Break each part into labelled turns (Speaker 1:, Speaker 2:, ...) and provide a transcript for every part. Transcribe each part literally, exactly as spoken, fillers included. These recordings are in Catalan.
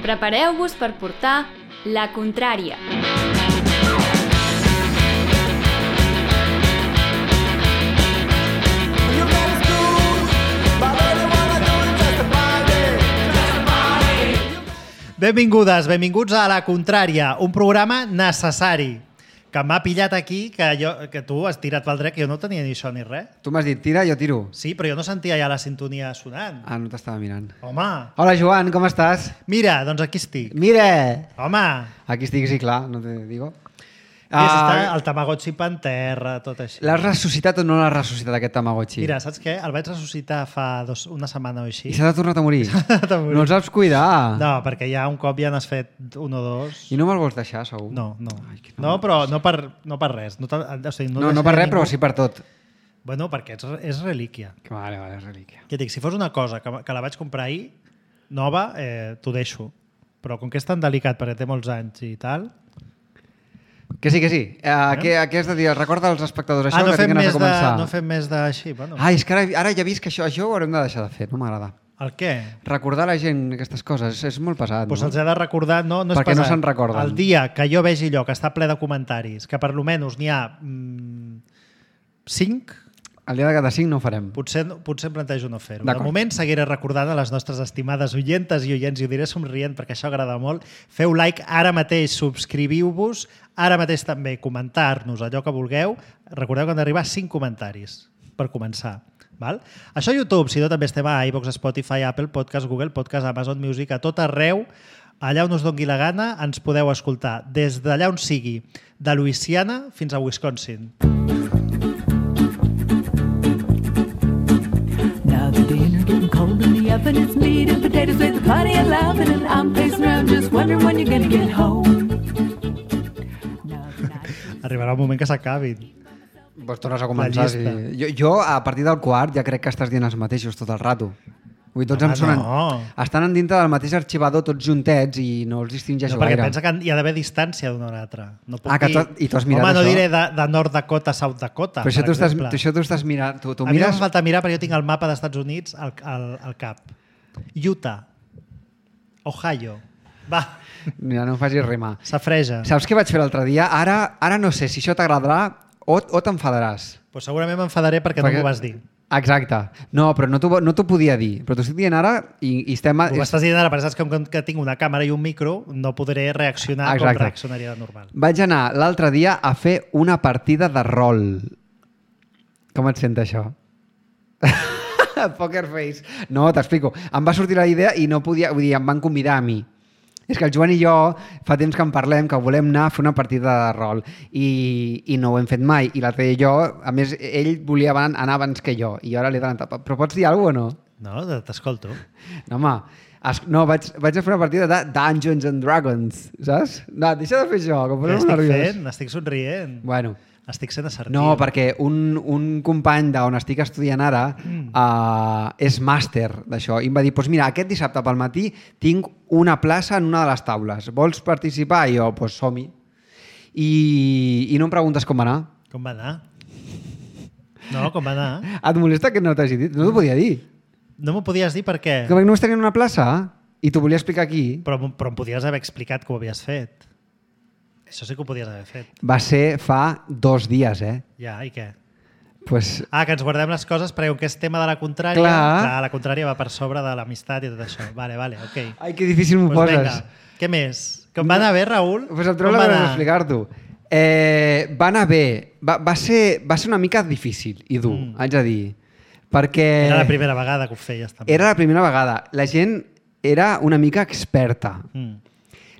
Speaker 1: Prepareu-vos per portar La Contrària.
Speaker 2: Benvingudes, benvinguts a La Contrària, un programa necessari que m'ha pillat aquí, que, jo, que tu has tirat pel dret, que jo no tenia ni això ni res.
Speaker 3: Tu m'has dit, tira, jo tiro.
Speaker 2: Sí, però jo no sentia ja la sintonia sonant.
Speaker 3: Ah, no t'estava mirant.
Speaker 2: Home!
Speaker 3: Hola, Joan, com estàs?
Speaker 2: Mira, doncs aquí estic.
Speaker 3: Mira!
Speaker 2: Home!
Speaker 3: Aquí estic, sí, clar, no te digo.
Speaker 2: Uh, està el Tamagotchi per terra, tot així.
Speaker 3: L'has ressuscitat o no l'has ressuscitat, aquest Tamagotchi?
Speaker 2: Mira, saps què? El vaig ressuscitar fa dos, una setmana o així.
Speaker 3: I s'ha tornat a morir?
Speaker 2: morir.
Speaker 3: No els saps cuidar?
Speaker 2: No, perquè ja un cop ja n'has fet un o dos.
Speaker 3: I no me'l vols deixar, segur?
Speaker 2: No, no.
Speaker 3: Ai,
Speaker 2: no, però no per, no per res. No, o sigui, no,
Speaker 3: no, no per res, ningú... però sí per tot.
Speaker 2: Bueno, perquè és, és relíquia.
Speaker 3: Vale, vale, és relíquia.
Speaker 2: Ja dic, si fos una cosa que, que la vaig comprar ahir, nova, eh, t'ho deixo. Però com que és tan delicat perquè té molts anys i tal...
Speaker 3: Que sí, que sí. Uh, eh? què, què has de dir? Recorda als espectadors això,
Speaker 2: ah, no
Speaker 3: que tinc ganes de començar.
Speaker 2: De, no fem més d'així. Bueno.
Speaker 3: Ai, és que ara, ara ja he vist que això, això ho haurem de deixar de fer, no m'agrada.
Speaker 2: El què?
Speaker 3: Recordar a la gent aquestes coses, és, és molt pesat.
Speaker 2: Pues
Speaker 3: no?
Speaker 2: Els he de recordar, no, no és
Speaker 3: Perquè
Speaker 2: pesat.
Speaker 3: no se'n recorden.
Speaker 2: El dia que jo vegi allò que està ple de comentaris, que per lo menys n'hi ha mm, cinc...
Speaker 3: El dia de cada cinc no ho farem.
Speaker 2: Potser, potser em plantejo no fer-ho. De moment seguiré recordant a les nostres estimades oientes i oients, i ho diré somrient perquè això agrada molt. Feu like ara mateix, subscriviu-vos, ara mateix també comentar-nos allò que vulgueu. Recordeu que han d'arribar cinc comentaris per començar. Val? Això a YouTube, si no també estem a iVoox, Spotify, Apple Podcast, Google Podcast, Amazon Music, a tot arreu, allà on us doni la gana, ens podeu escoltar des d'allà on sigui, de Louisiana fins a Wisconsin.
Speaker 4: And it's meat and potatoes with plenty of laughing, and I'm pacing around just wondering when you're gonna get home.
Speaker 2: Arribarà un moment que s'acabin.
Speaker 3: Pues tornes a començar. Sí. Jo, jo, a partir del quart, ja crec que estàs dient els mateixos tot el rato. Vull dir, tots ah, em sonen...
Speaker 2: No.
Speaker 3: Estan dintre del mateix arxivador, tots juntets, i no els distingeixo
Speaker 2: no, perquè
Speaker 3: gaire.
Speaker 2: Perquè pensa que hi ha d'haver distància d'una a l'altra. No puc
Speaker 3: ah, que
Speaker 2: dir...
Speaker 3: tu, i tu has mirat
Speaker 2: Home,
Speaker 3: això?
Speaker 2: no diré de, de Nord Dakota a South Dakota,
Speaker 3: però això
Speaker 2: per
Speaker 3: tu estàs,
Speaker 2: exemple.
Speaker 3: això tu estàs mirant... Tu, tu
Speaker 2: a
Speaker 3: mires...
Speaker 2: mi no em falta mirar perquè jo tinc el mapa dels Estats Units al, al, al cap. Utah. Ohio. Va.
Speaker 3: Mira, no em facis rimar.
Speaker 2: S'afreja.
Speaker 3: Saps què vaig fer l'altre dia? Ara, ara no sé si això t'agradarà o, o t'enfadaràs.
Speaker 2: Pues segurament m'enfadaré perquè, perquè no m'ho vas dir.
Speaker 3: Exacte. No, però no t'ho no podia dir. Però t'ho estic dient ara i, i estem...
Speaker 2: Ho estàs dient ara, perquè saps que, que tinc una càmera i un micro, no podré reaccionar Exacte. Com reaccionaria de normal.
Speaker 3: Vaig anar l'altre dia a fer una partida de rol. Com et sent això? Poker face. No, t'explico. Em va sortir la idea i no podia... Vull dir, em van convidar a mi. És que el Joan i jo fa temps que en parlem, que volem anar a fer una partida de rol i, i no ho hem fet mai. I l'altre dia jo, a més, ell volia anar abans que jo i ara l'he d'anar. Però pots dir alguna cosa o no?
Speaker 2: No, t'escolto.
Speaker 3: No, home, es, no, vaig, vaig a fer una partida de Dungeons and Dragons, saps? No, deixa de fer això, que em poso nerviós.
Speaker 2: Estic fent? Estic somrient.
Speaker 3: Bueno.
Speaker 2: Estic sent assertiu.
Speaker 3: No, perquè un, un company d'on estic estudiant ara mm. uh, és màster d'això i em va dir, doncs mira, aquest dissabte pel matí tinc una plaça en una de les taules. Vols participar? I jo, doncs pues, som-hi. I, I no em preguntes com va anar.
Speaker 2: Com va anar? No, com va anar?
Speaker 3: Et molesta que no t'hagi dit? No t'ho podia dir.
Speaker 2: No m'ho podies dir per què?
Speaker 3: Que perquè no es tenien una plaça i t'ho volia explicar aquí.
Speaker 2: Però, però em podies haver explicat que ho havies fet. Això sí que ho podies haver fet.
Speaker 3: Va ser fa dos dies, eh?
Speaker 2: Ja, i què?
Speaker 3: Pues...
Speaker 2: Ah, que ens guardem les coses perquè com que és tema de la contrària,
Speaker 3: Clar.
Speaker 2: Clar, la contrària va per sobre de l'amistat i tot això. Vale, vale, ok.
Speaker 3: Ai, que difícil m'ho
Speaker 2: pues
Speaker 3: poses.
Speaker 2: Vinga, què més? Com va anar bé, Raül?
Speaker 3: Pues em trobo la cosa d'explicar-t'ho. Eh, va anar bé. Va, va, ser, va ser una mica difícil i dur, mm. haig de dir. Perquè...
Speaker 2: Era la primera vegada que ho feies, també.
Speaker 3: Era la primera vegada. La gent era una mica experta. Mm.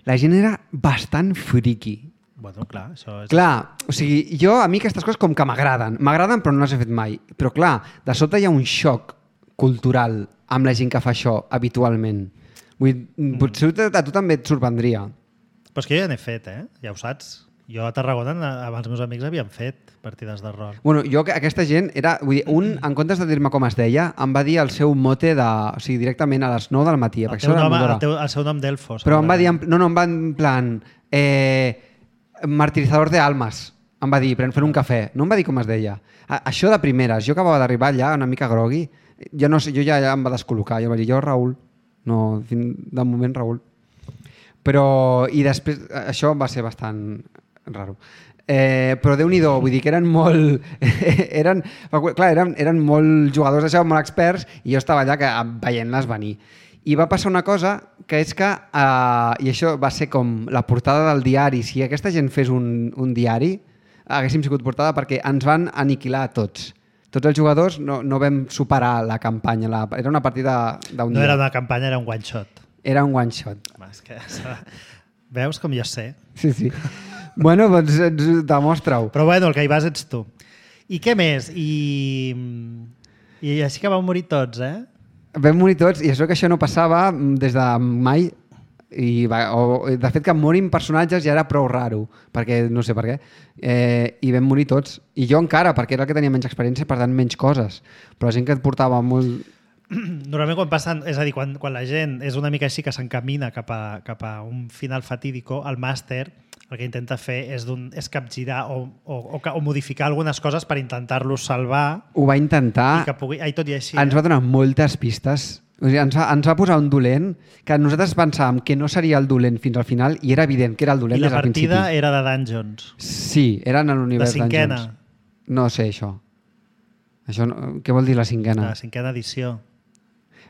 Speaker 3: La gent era bastant friqui.
Speaker 2: Bueno, clar, això és...
Speaker 3: Clar, o sigui, jo, a mi aquestes coses com que m'agraden. M'agraden, però no les he fet mai. Però clar, de sobte hi ha un xoc cultural amb la gent que fa això habitualment. Vull dir, mm. potser a tu també et sorprendria.
Speaker 2: Però és que jo ja n'he fet, eh? Ja ho saps. Jo a Tarragona, amb els meus amics, havien fet partides de rol.
Speaker 3: Bueno, jo, aquesta gent, era, vull dir, un, en comptes de dir-me com es deia, em va dir el seu mote de... O sigui, directament a les nou del matí.
Speaker 2: El, teu nom, el, teu, el seu nom d'Elfos.
Speaker 3: Però em va dir... No, no, em va en plan... Eh, martirizador de almas, em va dir, pren fer un cafè. No em va dir com es deia. A, això de primeres, jo acabava d'arribar allà una mica grogui, jo, no sé, jo ja, ja em va descol·locar. Jo em va dir, jo, Raül, no, de moment, Raül. Però, i després, això va ser bastant raro. Eh, però Déu-n'hi-do, vull dir que eren molt... eren, clar, eren, eren molt jugadors d'això, molt experts, i jo estava allà que, veient-les venir. I va passar una cosa, que és que, eh, i això va ser com la portada del diari, si aquesta gent fes un, un diari, haguéssim sigut portada perquè ens van aniquilar a tots. Tots els jugadors no, no vam superar la campanya. La, era una partida d'un dia.
Speaker 2: No era una campanya, era un one shot.
Speaker 3: Era un one shot.
Speaker 2: Home, és que, veus com jo sé?
Speaker 3: Sí, sí. Bueno, doncs demostra-ho.
Speaker 2: Però bueno, el que hi vas ets tu. I què més? I, i així que van morir tots, eh?
Speaker 3: Vam morir tots, i això que això no passava des de mai. I va, o, de fet que morin personatges ja era prou raro, perquè no sé per què, eh, i vam morir tots, i jo encara, perquè era el que tenia menys experiència, per tant menys coses, però la gent que et portava molt...
Speaker 2: Normalment quan passen, és a dir, quan, quan la gent és una mica així que s'encamina cap, a, cap a un final fatídico, el màster el que intenta fer és, és capgirar o, o, o, o modificar algunes coses per intentar-los salvar.
Speaker 3: Ho va intentar,
Speaker 2: i que pugui, ai, tot i així,
Speaker 3: ens
Speaker 2: eh?
Speaker 3: va donar moltes pistes. O sigui, ens, va, ens va posar un dolent que nosaltres pensàvem que no seria el dolent fins al final i era evident que era el dolent des del principi.
Speaker 2: I la partida era de Dungeons.
Speaker 3: Sí, era en l'univers
Speaker 2: Dungeons. La cinquena.
Speaker 3: Dungeons. No sé, això. Això no, què vol dir la cinquena?
Speaker 2: La cinquena edició.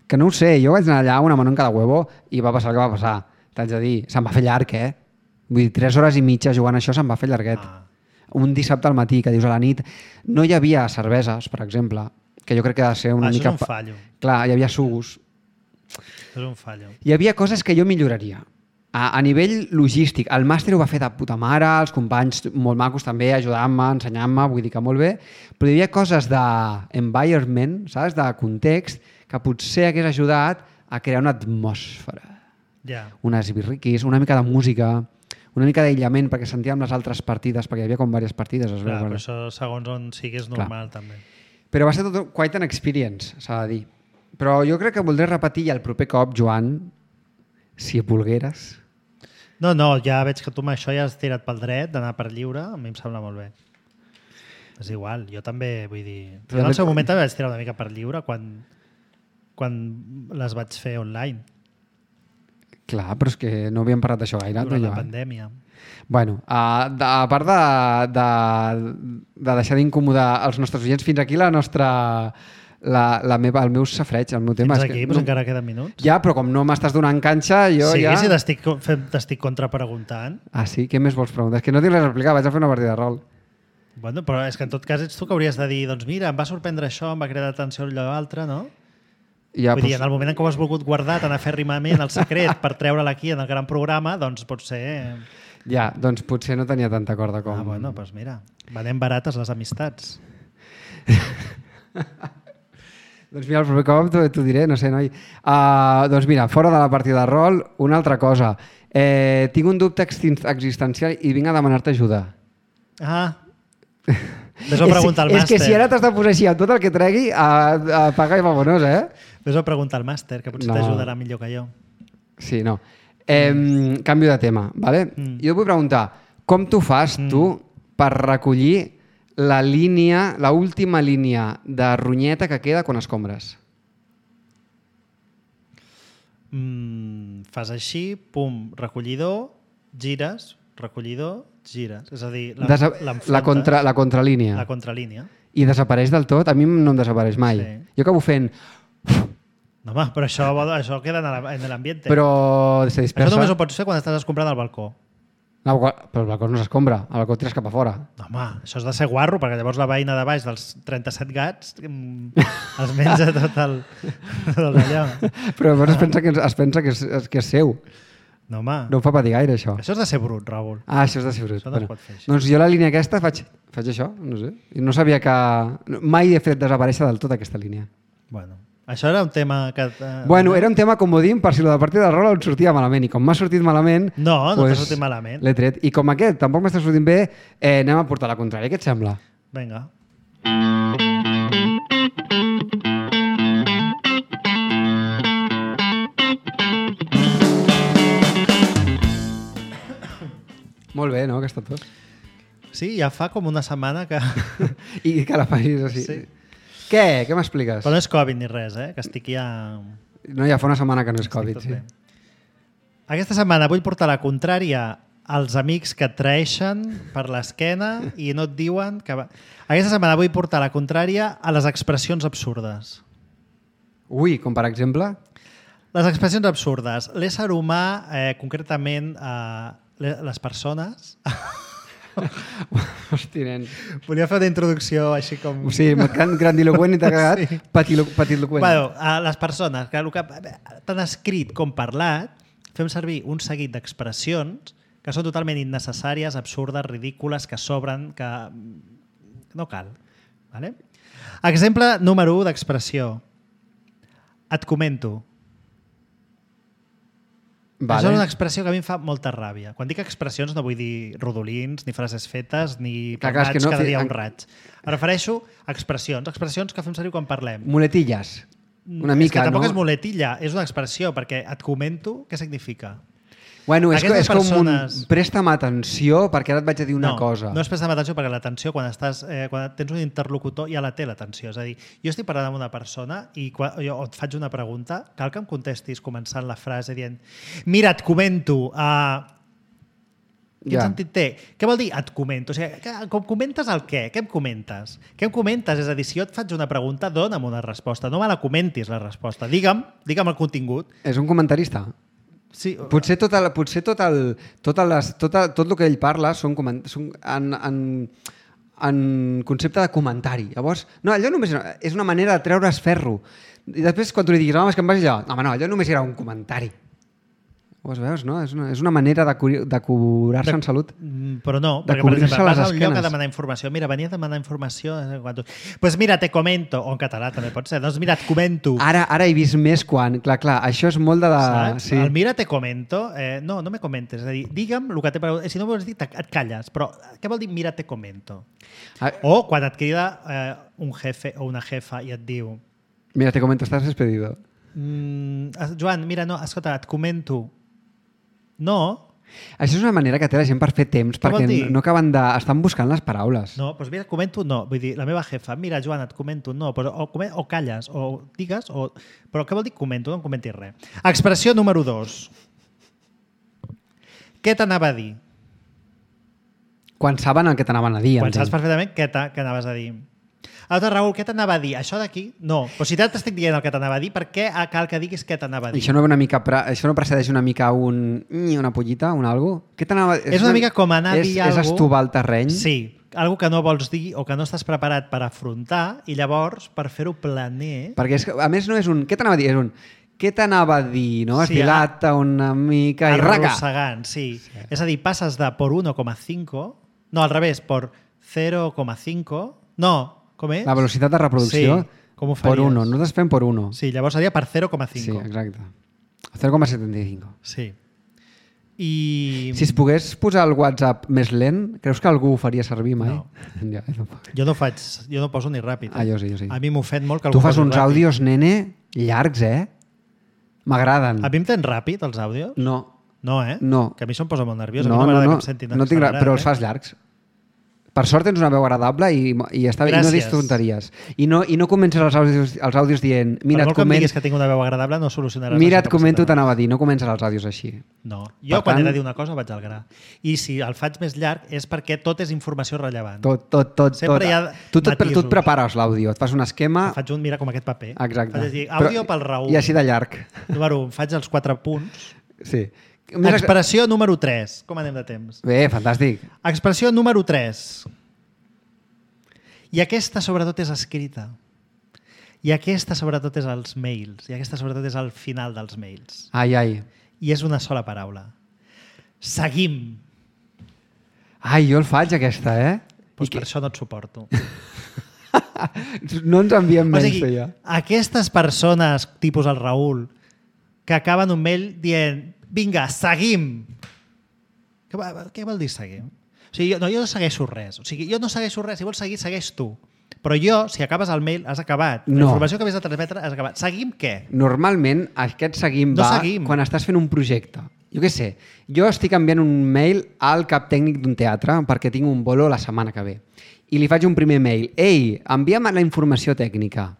Speaker 3: Que no ho sé, jo vaig anar allà una mano en cada huevo i va passar el que va passar. T'haig de dir, se'm va fer llarg, eh? Vull dir, tres hores i mitja jugant això se'm va fer llarguet. Ah. Un dissabte al matí, que dius a la nit, no hi havia cerveses, per exemple, que jo crec que ha de ser una
Speaker 2: ah,
Speaker 3: mica...
Speaker 2: Això és un fallo.
Speaker 3: Clar, hi havia sugus.
Speaker 2: És un fallo.
Speaker 3: Hi havia coses que jo milloraria. A, a nivell logístic, el màster ho va fer de puta mare, els companys molt macos també, ajudant-me, ensenyant-me, vull dir que molt bé, però hi havia coses d'environment, saps, de context, que potser hagués ajudat a crear una atmosfera.
Speaker 2: Yeah.
Speaker 3: Unes birriquis, una mica de música, una mica d'aïllament perquè sentíem les altres partides, perquè hi havia com diverses partides. Es
Speaker 2: Clar,
Speaker 3: veu,
Speaker 2: però això segons on siguis normal. Clar. També.
Speaker 3: Però va ser tot quite an experience, s'ha de dir. Però jo crec que voldré repetir el proper cop, Joan, si volgueres.
Speaker 2: No, no, ja veig que tu amb això ja has tirat pel dret d'anar per lliure, a mi em sembla molt bé. És igual, jo també, vull dir... Jo en el seu moment també vaig tirar una mica per lliure quan, quan les vaig fer online.
Speaker 3: Clar, però és que no havíem parlat d'això gaire.
Speaker 2: Durant la pandèmia.
Speaker 3: Bueno, a, a part de, de, de deixar d'incomodar els nostres oients, fins aquí la nostra... La, la meva, el meu safreig, el meu tema.
Speaker 2: Fins aquí,
Speaker 3: que,
Speaker 2: doncs
Speaker 3: no,
Speaker 2: encara queden minuts.
Speaker 3: Ja, però com no m'estàs donant canxa, jo
Speaker 2: sí,
Speaker 3: ja...
Speaker 2: Sí, si t'estic contrapreguntant.
Speaker 3: Ah, sí? Què més vols preguntar? És que no tinc res a explicar, vaig a fer una partida de rol.
Speaker 2: Bueno, però és que en tot cas ets tu que hauries de dir, doncs mira, em va sorprendre això, em va cridar l'atenció allò l'altre, no?
Speaker 3: Ja,
Speaker 2: Vull
Speaker 3: pues...
Speaker 2: dir, en el moment en què ho has volgut guardar tan afèrrimament el secret per treure-la aquí en el gran programa, doncs potser...
Speaker 3: Ja, doncs potser no tenia tanta corda com...
Speaker 2: Ah, bueno, doncs mira, venem barates les amistats.
Speaker 3: Doncs mira, el proper cop t'ho diré, no sé, noi. Uh, doncs mira, fora de la partida de rol, una altra cosa. Eh, tinc un dubte existencial i vinc a demanar-te ajuda.
Speaker 2: Ah, ves a preguntar al
Speaker 3: màster. És que si ara t'has de posar així amb tot el que tregui, a, a pagar i vamonos, eh?
Speaker 2: Ves a preguntar al màster, que potser no. t'ajudarà millor que jo.
Speaker 3: Sí, no. Eh, mm. Canvio de tema, ¿vale? Mm. Jo vull preguntar, com tu fas, mm. tu, per recollir la línia, la última línia de ronyeta que queda quan escombres?
Speaker 2: Mm, fas així, pum, recollidor, gires, recollidor, gires. És a dir,
Speaker 3: Desa la, contra, la contralínia.
Speaker 2: La contralínia.
Speaker 3: I desapareix del tot? A mi no em desapareix mai. Sí. Jo acabo fent...
Speaker 2: No, home, però això, això queda en l'ambient.
Speaker 3: Però se dispersa.
Speaker 2: Això només ho pots fer quan estàs escombrant al balcó.
Speaker 3: No, però el balcó no s'escombra, el balcó tires cap a fora.
Speaker 2: No, home, això és de ser guarro, perquè llavors la veïna de baix dels trenta-set gats els menja tot el... Tot allò.
Speaker 3: Però llavors es pensa que, es pensa que, és, que és seu.
Speaker 2: No, home.
Speaker 3: No em fa patir gaire, això.
Speaker 2: Això és de ser brut, Raül.
Speaker 3: Ah, això és de ser brut.
Speaker 2: Això no
Speaker 3: bueno.
Speaker 2: es pot fer així.
Speaker 3: Doncs jo la línia aquesta faig, faig això, no sé. I no sabia que... Mai he fet desaparèixer del tot aquesta línia.
Speaker 2: Bueno, això era un tema que... Eh,
Speaker 3: bueno, era un tema comodín per si la de partida de rol em sortia malament. I com m'ha sortit malament...
Speaker 2: No, no
Speaker 3: pues,
Speaker 2: t'ha sortit malament.
Speaker 3: L'he tret. I com aquest tampoc m'està sortint bé, eh, anem a portar la contrària. Què et sembla?
Speaker 2: Vinga.
Speaker 3: Molt bé, no, aquesta tos?
Speaker 2: Sí, ja fa com una setmana que...
Speaker 3: I que la facis així. Sí. Què? Què m'expliques?
Speaker 2: Però no és Covid ni res, eh? Que estic ja...
Speaker 3: No, ja fa una setmana que no és Covid, sí. Bé.
Speaker 2: Aquesta setmana vull portar la contrària als amics que et traeixen per l'esquena i no et diuen que... Va... Aquesta setmana vull portar la contrària a les expressions absurdes.
Speaker 3: Ui, com per exemple?
Speaker 2: Les expressions absurdes. L'ésser humà, eh, concretament eh, les persones...
Speaker 3: Hosti, nen.
Speaker 2: Volia fer una introducció així com...
Speaker 3: O sigui, gran, grandiloquent i t'ha quedat sí. Petitloquent.
Speaker 2: Bueno, a les persones, que, que tant escrit com parlat, fem servir un seguit d'expressions que són totalment innecessàries, absurdes, ridícules, que sobren, que no cal. Vale? Exemple número u d'expressió. Et comento. Vale. Això és una expressió que a mi em fa molta ràbia. Quan dic expressions no vull dir rodolins, ni frases fetes, ni parlats no, cada dia un raig. Em refereixo a expressions, expressions que fem servir quan parlem.
Speaker 3: Muletilles. Una mica,
Speaker 2: és que tampoc
Speaker 3: no?
Speaker 2: és muletilla, és una expressió, perquè et comento què significa.
Speaker 3: Bueno, és, és com
Speaker 2: persones...
Speaker 3: un presta'm atenció perquè ara et vaig a dir una
Speaker 2: no,
Speaker 3: cosa.
Speaker 2: No és presta'm atenció perquè l'atenció, quan, estàs, eh, quan tens un interlocutor, ja la té l'atenció. És a dir, jo estic parlant amb una persona i quan jo et faig una pregunta, cal que em contestis començant la frase dient mira, et comento... Uh... Quin ja. sentit té? Què vol dir et comento? O sigui, com comentes el què? Què em comentes? Què em comentes? És a dir, si jo et faig una pregunta, dona'm una resposta. No me la comentis, la resposta. Digue'm, digue'm el contingut.
Speaker 3: És un comentarista?
Speaker 2: Sí.
Speaker 3: Potser, tot el, potser tot, el, tot, les, tot, el, tot el que ell parla són, són en, en, en concepte de comentari. Llavors, no, allò només és una manera de treure's ferro. I després, quan tu li diguis, home, és que em vas allò, no, home, no, allò només era un comentari. Ho veus, no? És una, és una manera de, cu de curar-se en salut.
Speaker 2: Però no,
Speaker 3: de
Speaker 2: perquè, per exemple, vas a un
Speaker 3: esquenes.
Speaker 2: lloc a demanar informació. Mira, venia a demanar informació. Doncs pues mira, te comento. O en català també pot ser. Doncs mira, et comento.
Speaker 3: Ara, ara he vist més quan... Clar, clar, això és molt de la...
Speaker 2: Saps? Sí. El mira, te comento. Eh, no, no me comentes. És a dir, digue'm el que té per... Si no vols dir, et calles. Però què vol dir mira, te comento? Ah. O quan et crida eh, un jefe o una jefa i et diu...
Speaker 3: Mira, te comento, estàs despedido.
Speaker 2: Mm, Joan, mira, no, escolta, et comento... No.
Speaker 3: Això és una manera que té la gent per fer temps,
Speaker 2: què
Speaker 3: perquè no acaben de... Estan buscant les paraules.
Speaker 2: No, doncs mira, comento no. Vull dir, la meva jefa, mira, Joan, et comento no. Però, o, o calles, o digues, o... Però què vol dir comento? No em comentis res. Expressió número dos. Què t'anava a dir?
Speaker 3: Quan saben el que t'anaven a dir.
Speaker 2: Quan saps perfectament què, què anaves a dir. Aleshores, Raül, què t'anava a dir? Això d'aquí? No. Però si t'estic dient el que t'anava a dir, per què cal que diguis què t'anava a dir?
Speaker 3: Això no, una mica, això no precedeix una mica un... una pollita, un algo? Què t'anava...
Speaker 2: És una mica com anar a dir
Speaker 3: alguna cosa... És estovar el terreny?
Speaker 2: Sí. Algo que no vols dir o que no estàs preparat per afrontar i llavors, per fer-ho planer...
Speaker 3: Perquè, és, a més, no és un... Què t'anava a dir? És un... Què t'anava a dir? No? Es
Speaker 2: sí,
Speaker 3: dilata una mica i raca.
Speaker 2: Arrossegant, sí. sí. És a dir, passes de por uno coma cinco... No, al revés, por cero coma cinco... No, com és?
Speaker 3: La velocitat de reproducció
Speaker 2: sí, com ho faries?
Speaker 3: Per uno. Nosaltres fem per uno.
Speaker 2: Sí, llavors seria per zero coma cinco.
Speaker 3: Sí, exacte. zero coma setenta y cinco.
Speaker 2: Sí. I...
Speaker 3: Si es pogués posar el WhatsApp més lent, creus que algú ho faria servir mai?
Speaker 2: No.
Speaker 3: Ja, no.
Speaker 2: Jo no faig, jo no poso ni ràpid. Eh?
Speaker 3: Ah, jo sí, jo sí.
Speaker 2: A mi m'ofèn molt que algú
Speaker 3: tu fas uns
Speaker 2: ràpid.
Speaker 3: àudios, nene, llargs, eh? M'agraden.
Speaker 2: A mi em tens ràpid, els àudios?
Speaker 3: No.
Speaker 2: No, eh?
Speaker 3: No.
Speaker 2: Que a mi se'm posa molt nerviós.
Speaker 3: No,
Speaker 2: a mi no,
Speaker 3: no, no.
Speaker 2: Que em sentin
Speaker 3: no tinc
Speaker 2: accelerat,
Speaker 3: però
Speaker 2: eh?
Speaker 3: els fas llargs. Per sort tens una veu agradable i, i, està, i no dius tonteries. I no, i no comences els àudios, els àudios dient... Mira,
Speaker 2: per molt que
Speaker 3: coment...
Speaker 2: em diguis que tinc una veu agradable, no solucionaràs...
Speaker 3: Mira, et comento, t'anava a dir, no comences els àudios així.
Speaker 2: No, jo per quan tant... he de dir una cosa vaig al gra. I si el faig més llarg és perquè tot és informació rellevant.
Speaker 3: Tot, tot, tot.
Speaker 2: Sempre
Speaker 3: tot.
Speaker 2: hi ha
Speaker 3: tu, tot, tu et prepares l'àudio, et fas un esquema...
Speaker 2: Em faig un, mira, com aquest paper.
Speaker 3: Exacte.
Speaker 2: Faig dir, àudio
Speaker 3: Però,
Speaker 2: pel Raül.
Speaker 3: I així de llarg.
Speaker 2: Número un, faig els quatre punts.
Speaker 3: Sí.
Speaker 2: Expressió número tres. Com anem de temps?
Speaker 3: Bé, fantàstic.
Speaker 2: Expressió número tres. I aquesta, sobretot, és escrita. I aquesta, sobretot, és als mails. I aquesta, sobretot, és al final dels mails.
Speaker 3: Ai, ai.
Speaker 2: I és una sola paraula. Seguim.
Speaker 3: Ai, jo el faig, aquesta, eh?
Speaker 2: Doncs per que... això no et suporto.
Speaker 3: No ens enviem
Speaker 2: o
Speaker 3: menys,
Speaker 2: sigui,
Speaker 3: ja.
Speaker 2: Aquestes persones, tipus el Raül, que acaben un mail dient vinga, seguim. Què, què vol dir seguim? O sigui, jo, no, jo no segueixo res. O sigui, jo no segueixo res. Si vols seguir, segueix tu. Però jo, si acabes el mail, has acabat. La
Speaker 3: no.
Speaker 2: informació que havies de transmetre has acabat. Seguim què?
Speaker 3: Normalment, aquest seguim
Speaker 2: no
Speaker 3: va
Speaker 2: seguim.
Speaker 3: Quan estàs fent un projecte. Jo què sé, jo estic enviant un mail al cap tècnic d'un teatre perquè tinc un bolo la setmana que ve. I li faig un primer mail. Ei, envia'm la informació tècnica.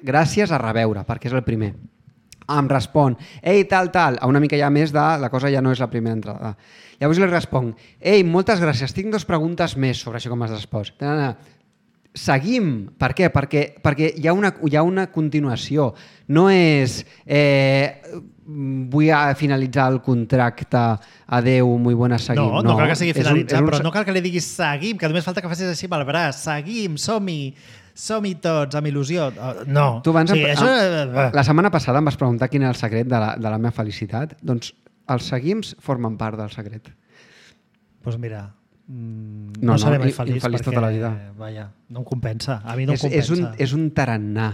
Speaker 3: Gràcies, a reveure, perquè és el primer. em respon, ei, tal, tal, a una mica ja més de la cosa ja no és la primera entrada. Llavors li responc, ei, moltes gràcies, tinc dues preguntes més sobre això com has respost. Seguim. Per què? Perquè, perquè hi, ha una, hi ha una continuació. No és eh, vull finalitzar el contracte, adeu, muy buenas, seguim.
Speaker 2: No, no, no cal que sigui finalitzat, un, un...
Speaker 3: però
Speaker 2: no cal que li diguis seguim, que només falta que facis així amb el braç. Seguim, som-hi, som-hi tots, amb il·lusió. No.
Speaker 3: Tu abans,
Speaker 2: sí, això...
Speaker 3: La setmana passada em vas preguntar quin era el secret de la, de la meva felicitat. Doncs els seguims formen part del secret.
Speaker 2: Doncs pues mira... Mm,
Speaker 3: no,
Speaker 2: no seré
Speaker 3: no,
Speaker 2: mai feliç,
Speaker 3: feliç
Speaker 2: perquè
Speaker 3: tota la vida.
Speaker 2: Vaja, no em compensa. A mi no
Speaker 3: és,
Speaker 2: em compensa.
Speaker 3: És un, és un tarannà.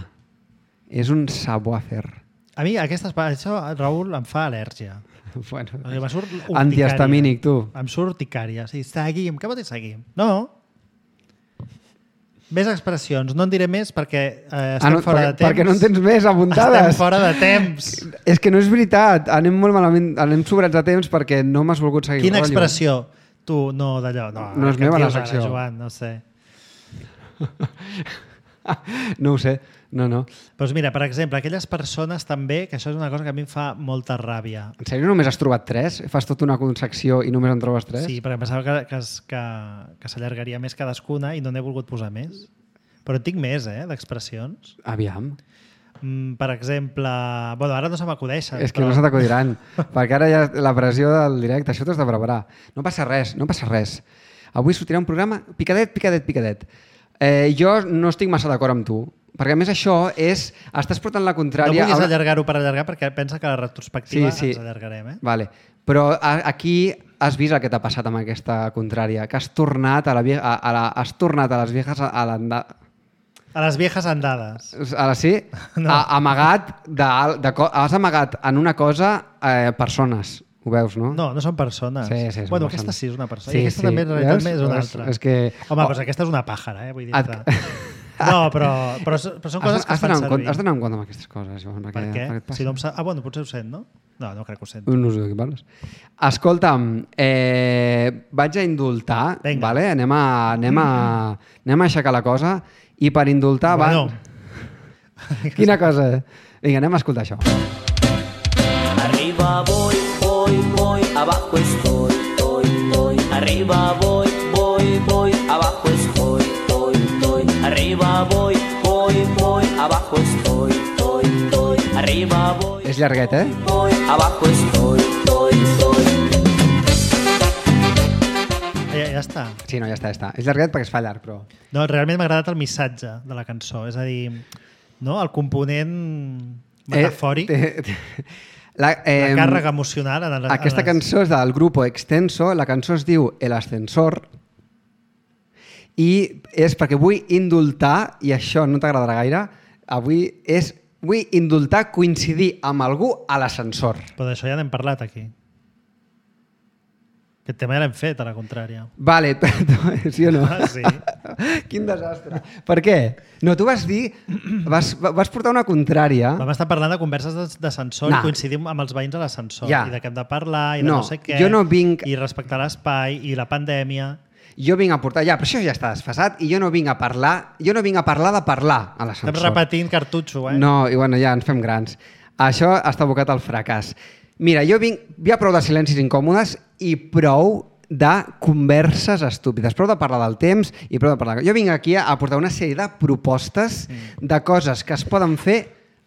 Speaker 3: És un savoir-faire.
Speaker 2: A mi aquestes, això, Raül, em fa al·lèrgia.
Speaker 3: Bueno,
Speaker 2: em surt
Speaker 3: antihistamínic, tu.
Speaker 2: Em surt icària. Sí, seguim. Què vol dir seguim? No. Més expressions. No en diré més perquè eh, estem
Speaker 3: ah, no,
Speaker 2: fora
Speaker 3: perquè,
Speaker 2: de temps.
Speaker 3: Perquè no en tens més apuntades.
Speaker 2: Estem fora de temps.
Speaker 3: És que no és veritat. Anem molt malament, anem sobrats de temps perquè no m'has volgut seguir.
Speaker 2: Quina expressió? Tu, no, d'allò. No,
Speaker 3: no és meva la secció.
Speaker 2: Ara, Joan, no sé.
Speaker 3: No ho sé. No, no.
Speaker 2: Doncs mira, per exemple, aquelles persones també, que això és una cosa que a mi em fa molta ràbia.
Speaker 3: En sèrio només has trobat tres? Fas tota una secció i només en trobes tres?
Speaker 2: Sí, perquè em pensava que, que, que, que s'allargaria més cadascuna i no n'he volgut posar més. Però en tinc més, eh, d'expressions.
Speaker 3: Aviam.
Speaker 2: Mm, per exemple... Bueno, ara no se m'acudeixen.
Speaker 3: És que
Speaker 2: però...
Speaker 3: no se t'acudiran, perquè ara hi ha la pressió del directe, això t'has de preparar. No passa res, no passa res. Avui sortirà un programa picadet, picadet, picadet. Eh, jo no estic massa d'acord amb tu, perquè a més això és... Estàs portant la contrària...
Speaker 2: No vulguis
Speaker 3: una...
Speaker 2: allargar-ho per allargar perquè pensa que a la retrospectiva
Speaker 3: sí, sí.
Speaker 2: ens allargarem, eh?
Speaker 3: Vale. Però aquí has vist el que t'ha passat amb aquesta contrària, que has tornat a, la vie... a, a, la... has tornat a les viejas a l'anda...
Speaker 2: A les viejas andades.
Speaker 3: Ara sí? No. A, amagat de, de, has amagat en una cosa eh, persones. Ho veus, no?
Speaker 2: No, no són persones.
Speaker 3: Sí, sí,
Speaker 2: bueno,
Speaker 3: persones.
Speaker 2: Aquesta sí és una persona.
Speaker 3: Sí,
Speaker 2: I aquesta
Speaker 3: sí.
Speaker 2: també, en realitat,
Speaker 3: Veus?
Speaker 2: és una
Speaker 3: Veus?
Speaker 2: altra.
Speaker 3: És que...
Speaker 2: Home, oh. doncs aquesta és una pàjara, eh? Vull dir
Speaker 3: Et...
Speaker 2: No, però, però, però són coses
Speaker 3: has,
Speaker 2: que es fan servir.
Speaker 3: Has d'anar en compte amb aquestes coses, Joan.
Speaker 2: Per què? Si no em sa... Ah, bueno, potser ho sent, no? No, no crec que ho sent.
Speaker 3: No sé de què parles. Escolta'm, eh, vaig a indultar,
Speaker 2: Venga.
Speaker 3: vale? anem, a, anem, a, anem a aixecar la cosa i per indultar...
Speaker 2: Bueno.
Speaker 3: Va... Quina cosa? Vinga, anem a escoltar això.
Speaker 5: Arriba voy, voy, voy, abajo estoy, estoy, estoy. Arriba voy, voy, voy, abajo estoy, estoy, estoy. Arriba voy, voy, voy, abajo estoy, estoy, estoy. Arriba voy.
Speaker 3: És llarguet, eh?
Speaker 5: Voy, abajo estoy, estoy, estoy.
Speaker 2: Ja, ja està.
Speaker 3: Sí, no, ja està, ja està. És llarguet perquè es fa llarg, però...
Speaker 2: No, realment m'ha agradat el missatge de la cançó. És a dir, no? El component metafòric,
Speaker 3: eh, te, te, la, eh,
Speaker 2: la càrrega emocional. En les,
Speaker 3: aquesta
Speaker 2: en les...
Speaker 3: cançó és del grupo Extenso, la cançó es diu El Ascensor i és perquè vull indultar, i això no t'agradarà gaire, avui és vull indultar coincidir amb algú a l'ascensor.
Speaker 2: Però d'això ja n'hem parlat aquí. Aquest tema ja l'hem fet, a la contrària.
Speaker 3: Vale, sí o no?
Speaker 2: Ah, sí.
Speaker 3: Quin desastre. Per què? No, tu vas dir... Vas, vas portar una contrària...
Speaker 2: Vam estar parlant de converses d'ascensor
Speaker 3: no.
Speaker 2: i coincidim amb els veïns a l'ascensor.
Speaker 3: Ja.
Speaker 2: I de què hem de parlar, i de
Speaker 3: no,
Speaker 2: no sé què.
Speaker 3: Jo no vinc...
Speaker 2: I respectar l'espai, i la pandèmia...
Speaker 3: Jo vinc a portar... Ja, però això ja està desfasat i jo no vinc a parlar... Jo no vinc a parlar de parlar a l'ascensor.
Speaker 2: Estem repetint cartutxo, eh?
Speaker 3: No, i bueno, ja ens fem grans. Això està abocat al fracàs. Mira, jo vinc... Hi ha prou de silencis incòmodes i prou de converses estúpides. Prou de parlar del temps i prou de parlar... Jo vinc aquí a portar una sèrie de propostes mm. de coses que es poden fer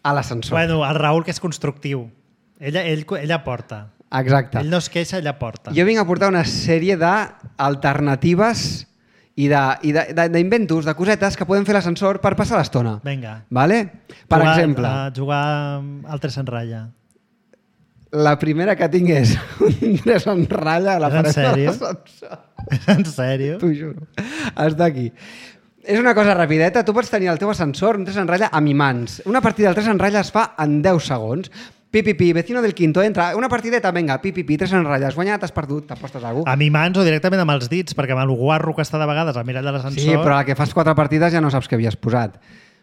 Speaker 3: a l'ascensor.
Speaker 2: Bueno, el Raül, que és constructiu. Ella, ell, ella porta.
Speaker 3: Exacte.
Speaker 2: Ell no es queixa, ella porta.
Speaker 3: Jo vinc a portar una sèrie d'alternatives i d'inventos, de, de, de cosetes que podem fer a l'ascensor per passar l'estona.
Speaker 2: Vinga.
Speaker 3: Vale? Per
Speaker 2: jugar,
Speaker 3: exemple...
Speaker 2: A jugar al tres en ratlla.
Speaker 3: La primera que tinc és un tres en ratlla a la
Speaker 2: paret de
Speaker 3: l'ascensor.
Speaker 2: És en sèrio?
Speaker 3: T'ho juro. Està aquí. És una cosa rapideta. Tu pots tenir al teu ascensor un tres en ratlla amb imants. Una partida del tres en ratlla es fa en deu segons. Pi, pi, pi, vecino del quinto, entra. Una partideta, venga, pi, pi, pi, tres en ratlla. Has guanyat, has perdut, t'apostes a algú.
Speaker 2: Amb imants o directament amb els dits, perquè amb el guarro que està de vegades al mirall de l'ascensor...
Speaker 3: Sí, però a la que fas quatre partides ja no saps què havies posat.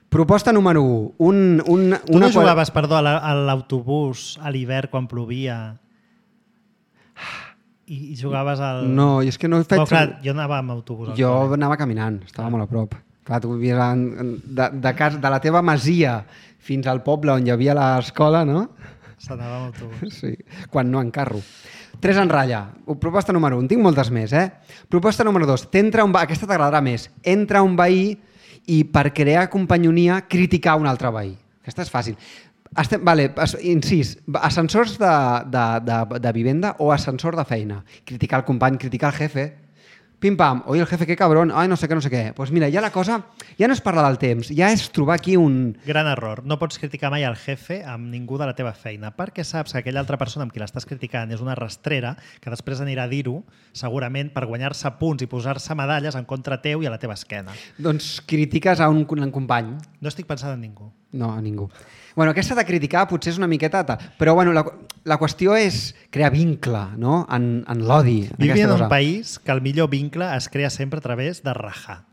Speaker 3: Proposta número u. Un, un,
Speaker 2: tu
Speaker 3: una
Speaker 2: no jugaves, qual... perdó, a l'autobús a l'hivern quan plovia i, i jugaves al...
Speaker 3: No, i és que no he fet...
Speaker 2: Bueno, clar, jo anava amb autobús.
Speaker 3: Jo anava caminant, estava molt a prop. Clar, tu vivies en, de, de, casa, de la teva masia fins al poble on hi havia l'escola, no?
Speaker 2: S'anava amb autobús.
Speaker 3: Sí, quan no en carro. Tres en ratlla. Proposta número un. Tinc moltes més, eh? Proposta número dos. T'entra un veí... Aquesta t'agradarà més. Entra un veí i per crear companyonia criticar un altre veí. Aquesta és fàcil. Estem, vale, incís, ascensors de, de, de, de vivenda o ascensor de feina. Criticar el company, criticar el jefe. Pim pam, oi el jefe, que cabrón, ai no sé què, no sé què. Doncs pues mira, ja la cosa, ja no és parlar del temps, ja és trobar aquí un...
Speaker 2: Gran error. No pots criticar mai el jefe amb ningú de la teva feina, perquè saps que aquella altra persona amb qui l'estàs criticant és una rastrera que després anirà a dir-ho, segurament, per guanyar-se punts i posar-se medalles en contra teu i a la teva esquena.
Speaker 3: Doncs critiques a un, un company.
Speaker 2: No estic pensant en ningú.
Speaker 3: No, a ningú. Bueno, aquesta de criticar potser és una miqueta... Però bueno, la, la qüestió és crear vincle, no? En, en l'odi.
Speaker 2: Vivim en un país que el millor vincle es crea sempre a través de rajar.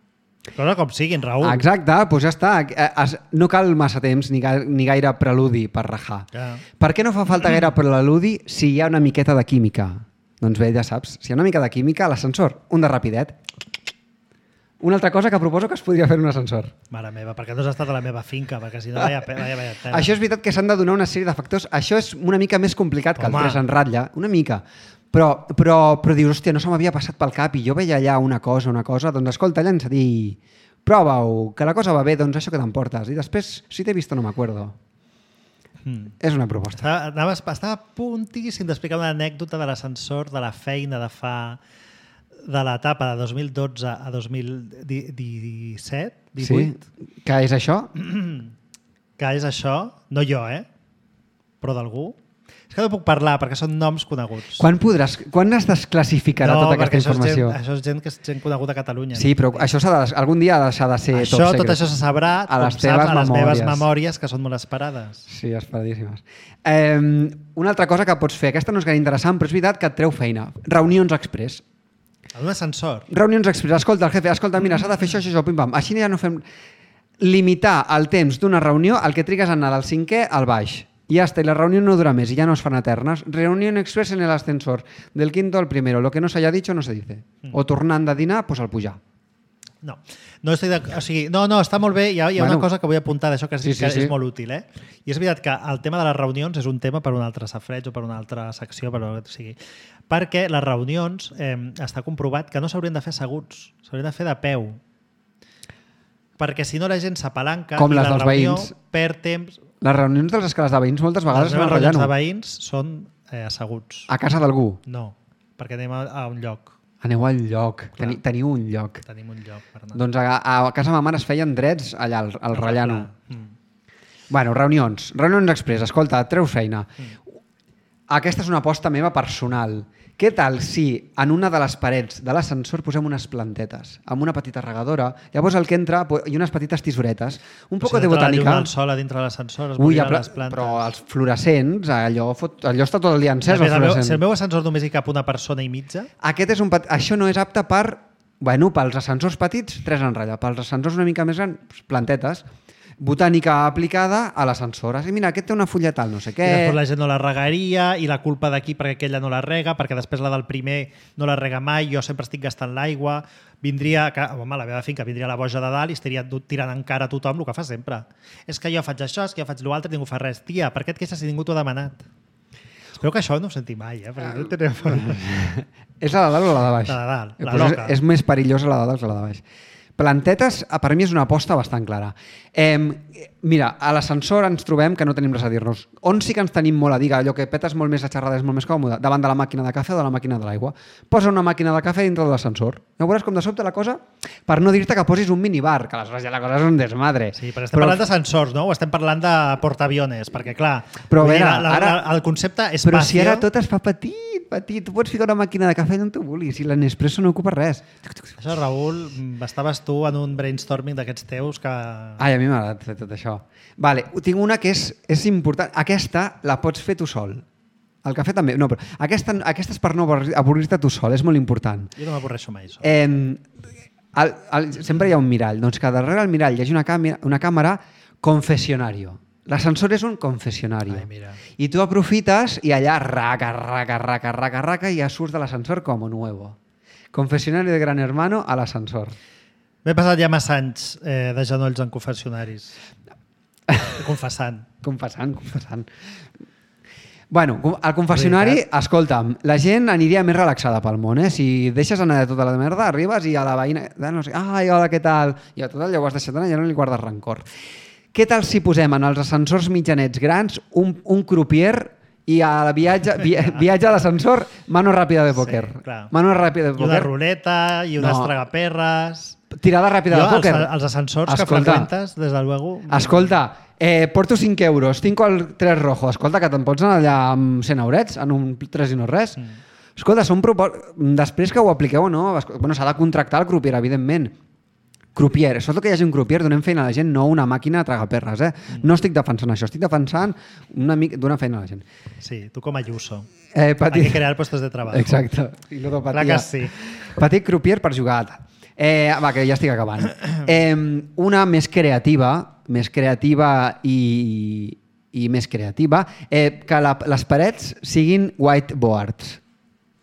Speaker 2: Cosa com siguin, Raül.
Speaker 3: Exacte, doncs ja està. Es, no cal massa temps ni, ga, ni gaire preludi per rajar.
Speaker 2: Ja.
Speaker 3: Per què no fa falta gaire preludi si hi ha una miqueta de química? Doncs bé, ja saps, si hi ha una mica de química, a l'ascensor, un de rapidet. Una altra cosa que proposo que es podria fer en un ascensor.
Speaker 2: Mare meva, perquè no has estat a la meva finca, perquè si no, vaya, vaya, vaya tela.
Speaker 3: Això és veritat que s'han de donar una sèrie de factors. Això és una mica més complicat que
Speaker 2: Home.
Speaker 3: el tres en ratlla, una mica. Però, però, però dius, hòstia, no se m'havia passat pel cap i jo veia allà una cosa, una cosa, doncs escolta, llença dir, prova-ho, que la cosa va bé, doncs això que t'emportes. I després, si t'he vist no m'acuerdo. Mm. És una proposta.
Speaker 2: Estava, anava, estava a puntíssim d'explicar una anècdota de l'ascensor, de la feina de fa... de l'etapa de dos mil dotze a dos mil disset, divuit.
Speaker 3: Sí? Que és això?
Speaker 2: Que és això? No jo, eh? Però d'algú. És que no puc parlar perquè són noms coneguts.
Speaker 3: Quan podràs, quan es desclassificarà
Speaker 2: no,
Speaker 3: tota aquesta informació?
Speaker 2: No, això és gent que és gent coneguda a Catalunya.
Speaker 3: Sí, però això s'ha de, algun dia ha de deixar de ser
Speaker 2: això,
Speaker 3: top secret.
Speaker 2: Tot això se sabrà,
Speaker 3: a
Speaker 2: com
Speaker 3: les
Speaker 2: saps,
Speaker 3: teves
Speaker 2: a les
Speaker 3: memòries.
Speaker 2: meves memòries, que són molt esperades.
Speaker 3: Sí, esperadíssimes. Eh, una altra cosa que pots fer, aquesta no és gaire interessant, però és veritat que et treu feina. Reunions express.
Speaker 2: En un ascensor.
Speaker 3: Reunions express. Escolta, el jefe, escolta, mira, s'ha de fer això, això, això, pim-pam. Així ja no fem... Limitar el temps d'una reunió al que trigues a anar del cinquè al baix. I ja està, i la reunió no dura més i ja no es fan eternes. Reunió express en el ascensor. Del quinto al primero. Lo que no s'haya dicho no se dice. Mm. O tornant de dinar, pues al pujar.
Speaker 2: No, no estic de... o sigui, no, no, està molt bé. Hi ha, hi ha bueno, una cosa que vull apuntar d'això que, és, sí, sí, que sí. és molt útil. Eh? I és veritat que el tema de les reunions és un tema per un altre safreig o per una altra secció, per o sigui, perquè les reunions eh, està comprovat que no s'haurien de fer asseguts, s'haurien de fer de peu. Perquè si no la gent s'apalanca i la reunió veïns. Perd temps...
Speaker 3: Les reunions de les escales de veïns moltes vegades...
Speaker 2: Les reunions de veïns són eh, asseguts.
Speaker 3: A casa d'algú?
Speaker 2: No, perquè anem a, a un lloc.
Speaker 3: Aneu al lloc. Teni, teniu un lloc.
Speaker 2: Tenim un lloc per anar.
Speaker 3: Doncs a, a casa ma mare es feien drets allà, al, al Rellano.
Speaker 2: Mm.
Speaker 3: Bueno, reunions. Reunions express. Escolta, et treus feina. Mm. Aquesta és una aposta meva personal. Què tal si en una de les parets de l'ascensor posem unes plantetes amb una petita regadora, llavors el que entra i unes petites tisoretes, un poc de botànica. Si
Speaker 2: entra la llum del sol a dintre de l'ascensor, es
Speaker 3: Ui,
Speaker 2: moriran les plantes.
Speaker 3: Però els fluorescents, allò, fot, allò està tot el dia encès.
Speaker 2: El meu, si el meu ascensor només hi cap una persona i mitja...
Speaker 3: Aquest és un pet... Això no és apte per... Bueno, pels ascensors petits, tres en ratlla. Pels ascensors una mica més grans, plantetes. Botànica aplicada a l'ascensor. I mira, aquest té una fulla tal, no sé què... I
Speaker 2: després la gent no la regaria i la culpa d'aquí perquè aquella no la rega, perquè després la del primer no la rega mai, jo sempre estic gastant l'aigua, vindria... Home, la meva finca vindria la boja de dalt i estaria tirant encara a tothom el que fa sempre. És que jo faig això, és que jo faig l'altre i ningú fa res. Tia, per què et queixes si ningú t'ho ha demanat? Espero que això no ho senti mai, eh? Perquè no tenim...
Speaker 3: És la de dalt o la de baix?
Speaker 2: La de dalt, la
Speaker 3: pues
Speaker 2: loca.
Speaker 3: És, és més perillosa la de dalt que la de baix. Plantetes, per mi és una aposta bastant clara. Eh, mira, a l'ascensor ens trobem que no tenim res a dir-nos. On sí que ens tenim molt a dir, allò que petes molt més la xerrada és molt més còmode, davant de la màquina de cafè o de la màquina de l'aigua. Posa una màquina de cafè dintre de l'ascensor. Ja veuràs com de sobte la cosa, per no dir-te que posis un minibar, que aleshores ja la cosa és un desmadre.
Speaker 2: Sí, però estem però... parlant d'ascensors, no? O estem parlant de portaaviones, perquè clar,
Speaker 3: però veure,
Speaker 2: la, la,
Speaker 3: ara...
Speaker 2: la, el concepte espacio...
Speaker 3: Però si ara tot es fa petit, petit, tu pots ficar una màquina de cafè on tu vulguis, i l'Nespresso no ocupa res.
Speaker 2: Això, Raül, estaves tu en un brainstorming d'aquests teus que...
Speaker 3: Ai, a mi m'ha agradat fer tot això. Vale, tinc una que és, és important. Aquesta la pots fer tu sol. El cafè també. No, però aquesta, aquesta és per no avorrir-te tu sol, és molt important.
Speaker 2: Jo no m'avorreixo mai, sol.
Speaker 3: Eh, el, el, sempre hi ha un mirall. Doncs que darrere el mirall hi hagi una càmera, una càmera confessionario. L'ascensor és un confessionario.
Speaker 2: Ai, mira.
Speaker 3: I tu aprofites i allà raca, raca, raca, raca, raca i ja surts de l'ascensor com nuevo. Confessionario de Gran Hermano a l'ascensor.
Speaker 2: M'he passat ja massa anys eh, de genolls en confessionaris. Confessant.
Speaker 3: Confessant, confessant. Bueno, al confessionari,
Speaker 2: Veritat.
Speaker 3: escolta'm, la gent aniria més relaxada pel món, eh? Si deixes anar de tota la merda, arribes i a la veïna... No sé, ai, hola, què tal? I a tot allò ho has deixat anar i ja no li guardes rancor. Què tal si posem en els ascensors mitjanets grans un, un crupier i al viatge, via, viatge d'ascensor, mano ràpida de pòquer?
Speaker 2: Sí, clar.
Speaker 3: Mano ràpida de
Speaker 2: I una
Speaker 3: pòquer.
Speaker 2: ruleta, i unes
Speaker 3: No.
Speaker 2: tragaperres...
Speaker 3: Tirada ràpida
Speaker 2: Jo,
Speaker 3: de pòquer.
Speaker 2: els, els ascensors
Speaker 3: Escolta.
Speaker 2: que freqüentes, des de luego...
Speaker 3: Escolta, eh, porto cinc euros, tinc el tres rojo. Escolta, que te'n pots anar allà amb cent eurets, en un tres i no res. Mm. Escolta, són propos... Després que ho apliqueu o no, bueno, s'ha de contractar el crupier, evidentment. Crupier, sobretot que hi hagi un crupier, donem feina a la gent, no una màquina a tragaperres. Eh? Mm. No estic defensant això, estic defensant una mica donar feina a la gent.
Speaker 2: Sí, tu com a Ayuso.
Speaker 3: Eh, petit...
Speaker 2: Hay que crear puestos de treball.
Speaker 3: Exacte. I ludopatia.
Speaker 2: Clar que sí.
Speaker 3: Petit crupier per jugar. Eh, va, que ja estic acabant. Eh, una més creativa, més creativa i, i més creativa, eh, que la, les parets siguin whiteboards,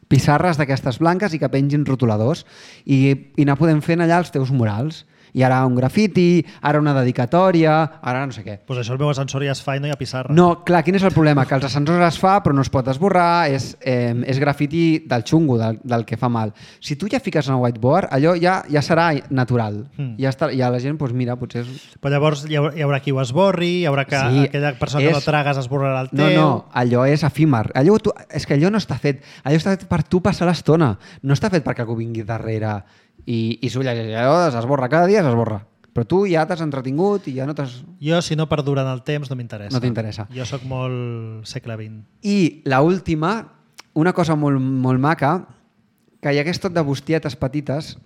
Speaker 3: pissarres d'aquestes blanques i que pengin rotuladors i, i anar podent fent allà els teus murals. I ara un grafiti, ara una dedicatòria, ara no sé què.
Speaker 2: Pues això el meu ascensor ja es fa i no hi ha pissarra.
Speaker 3: No, clar, quin és el problema? Que els ascensors es fa però no es pot esborrar, és, eh, és grafiti del xungo, del, del que fa mal. Si tu ja fiques en el whiteboard, allò ja, ja serà natural. Mm. Ja, està, ja la gent, doncs mira, potser... És...
Speaker 2: Però llavors hi haurà, hi haurà qui ho esborri, hi haurà que
Speaker 3: Sí,
Speaker 2: aquella persona
Speaker 3: és-
Speaker 2: que no tragues esborrarà el teu...
Speaker 3: No, no, allò és efímer. Allò, tu, és que allò no està fet. Allò està fet per tu passar l'estona. No està fet perquè algú vingui darrere i, i s'ho llegeix. Allò s'esborra cada dia, s'esborra. Però tu ja t'has entretingut i ja no t'has...
Speaker 2: Jo, si no perdura en el temps, no m'interessa.
Speaker 3: No t'interessa.
Speaker 2: Jo sóc molt segle vint.
Speaker 3: I la última, una cosa molt, molt maca, que hi hagués tot de bustietes petites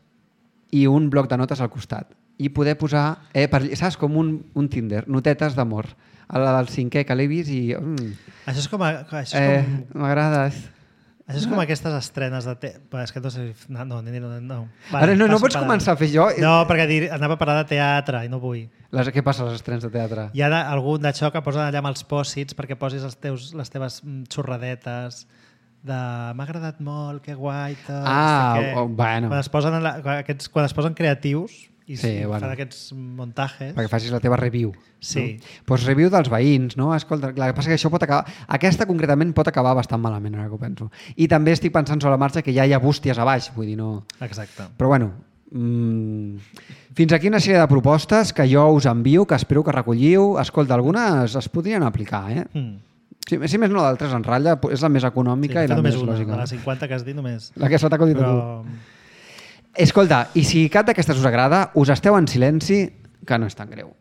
Speaker 3: i un bloc de notes al costat. I poder posar, eh, per, saps, com un, un Tinder, notetes d'amor. A la del cinquè que l'he vist i... Mm,
Speaker 2: Això és com... A, això és
Speaker 3: eh,
Speaker 2: com...
Speaker 3: m'agrades.
Speaker 2: Això és com aquestes estrenes de... Te... Però és que no sé... No, no, no. no.
Speaker 3: Ara no, no
Speaker 2: passo
Speaker 3: pots
Speaker 2: per
Speaker 3: començar a fer jo...
Speaker 2: No, perquè dir, anava a parlar de teatre i no vull.
Speaker 3: Les, què passa a les estrenes de teatre?
Speaker 2: Hi ha algun d'això que posen allà amb els pòsits perquè posis els teus, les teves mm, xorradetes de m'ha agradat molt, que guai, tot,
Speaker 3: Ah,
Speaker 2: no sé què.
Speaker 3: oh, bueno.
Speaker 2: Quan es posen, en la, quan aquests, quan es posen creatius i
Speaker 3: Sí,
Speaker 2: sí,
Speaker 3: bueno.
Speaker 2: fan aquests muntatges...
Speaker 3: Perquè facis la teva review.
Speaker 2: Sí.
Speaker 3: No? Pues review dels veïns, no? Escolta, clar, el que passa que això pot acabar... Aquesta concretament pot acabar bastant malament, ara que ho penso. I també estic pensant sobre la marxa que ja hi ha bústies a baix, vull dir, no...
Speaker 2: Exacte.
Speaker 3: Però bueno, mmm, fins aquí una sèrie de propostes que jo us envio, que espero que recolliu. Escolta, algunes es podrien aplicar, eh?
Speaker 2: Mm.
Speaker 3: Si, si més no, d'altres en ratlla, és la més econòmica
Speaker 2: Sí,
Speaker 3: i la
Speaker 2: només
Speaker 3: més
Speaker 2: una,
Speaker 3: lògica.
Speaker 2: de les cinquanta que has dit només.
Speaker 3: La que s'ha t'acudit a
Speaker 2: Però...
Speaker 3: tu. Escolta, i si cap d'aquestes us agrada, us esteu en silenci, que no és tan greu.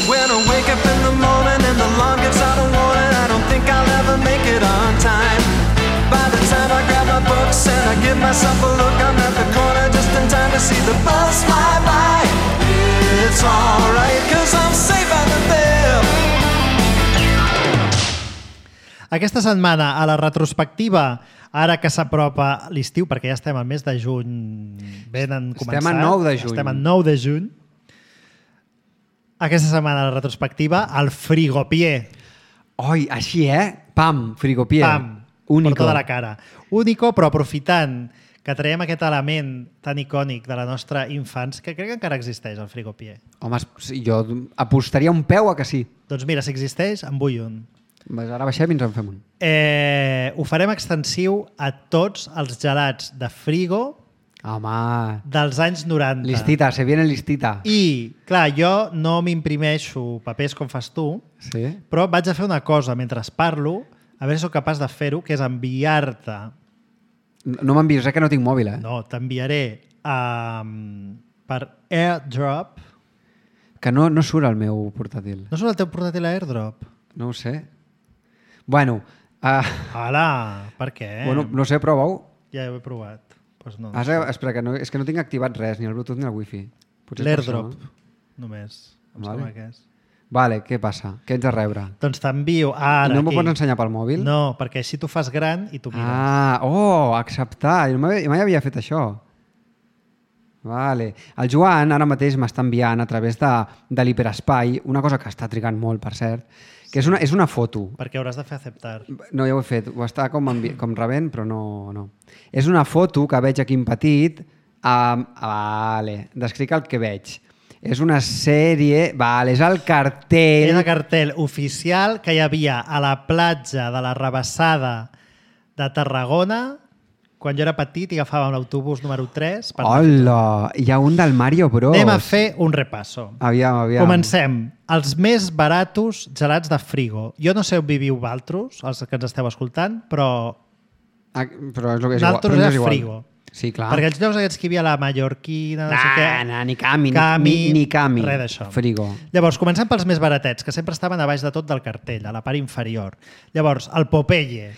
Speaker 6: When I wake up in the morning and the alarm gets out of warning, I don't think I'll ever make it on time. By the time I grab my books and I give myself a look, I'm at the corner just in time to see the bus fly by. It's alright, cause I'm safe out of there.
Speaker 2: Aquesta setmana, a la retrospectiva, ara que s'apropa l'estiu, perquè ja estem al mes de juny, ben en començat.
Speaker 3: Estem a nou de juny.
Speaker 2: Estem a nou de juny. Aquesta setmana, a la retrospectiva, el frigopié.
Speaker 3: Oi, així, eh? Pam, frigopier.
Speaker 2: Pam,
Speaker 3: Único.
Speaker 2: per tota la cara. Único, però aprofitant que traiem aquest element tan icònic de la nostra infants, que crec que encara existeix, el frigopié.
Speaker 3: Home, sí, jo apostaria un peu a que sí.
Speaker 2: Doncs mira, si existeix, en vull un.
Speaker 3: Pues ara baixem i ens en fem un.
Speaker 2: Eh, ho farem extensiu a tots els gelats de frigo
Speaker 3: Home,
Speaker 2: dels anys noranta.
Speaker 3: listita, se viene listita.
Speaker 2: I, clar, jo no m'imprimeixo papers com fas tu,
Speaker 3: Sí?
Speaker 2: però vaig a fer una cosa mentre parlo, a veure si sóc capaç de fer-ho, que és enviar-te...
Speaker 3: No m'envies, eh, que no tinc mòbil, eh?
Speaker 2: No, t'enviaré um, per AirDrop.
Speaker 3: Que no, no surt el meu portàtil.
Speaker 2: No surt el teu portàtil a AirDrop?
Speaker 3: No ho sé. Bueno, uh,
Speaker 2: Hola, per què?
Speaker 3: bueno no sé, prova-ho.
Speaker 2: Ja ho he provat. Pues no,
Speaker 3: Has, espera, que no, és que no tinc activat res, ni el Bluetooth ni el Wi-Fi. Potser és per
Speaker 2: l'AirDrop,
Speaker 3: això,
Speaker 2: només. Em
Speaker 3: Vale.
Speaker 2: sembla que és.
Speaker 3: Vale, què passa? Què ets de rebre?
Speaker 2: Doncs t'envio ara
Speaker 3: I no m'ho
Speaker 2: aquí.
Speaker 3: pots ensenyar pel mòbil?
Speaker 2: No, perquè així tu fas gran i tu mires.
Speaker 3: Ah, oh, acceptar. Jo mai, mai havia fet això. Vale. El Joan ara mateix m'està enviant a través de, de l'hiperespai una cosa que està trigant molt, per cert, que és una, és una foto.
Speaker 2: Perquè hauràs de fer acceptar.
Speaker 3: No, ja ho he fet. Ho està com, envi... com rebent, però no, no. És una foto que veig aquí en petit. Um, vale. Descric el que veig. És una sèrie... Val, és el cartell...
Speaker 2: És el cartell oficial que hi havia a la platja de la Rabassada de Tarragona quan jo era petit i agafàvem l'autobús número tres. Per
Speaker 3: Hola! Hi ha un del Mario Bros.
Speaker 2: Anem a fer un repasso.
Speaker 3: Aviam, aviam.
Speaker 2: Comencem. Els més baratos gelats de Frigo. Jo no sé on viviu vosaltres, els que ens esteu escoltant, però...
Speaker 3: Ah, però és el que és igual.
Speaker 2: Nosaltres
Speaker 3: Però
Speaker 2: era
Speaker 3: és igual.
Speaker 2: Frigo.
Speaker 3: Sí, clar.
Speaker 2: Perquè els llocs aquests que hi havia a la Mallorquina, no sé
Speaker 3: Nah,
Speaker 2: què...
Speaker 3: nah, ni Cami,
Speaker 2: Cami,
Speaker 3: ni, ni Cami.
Speaker 2: Res d'això.
Speaker 3: Frigo.
Speaker 2: Llavors, comencem pels més baratets, que sempre estaven a baix de tot del cartell, a la part inferior. Llavors, el Popeye.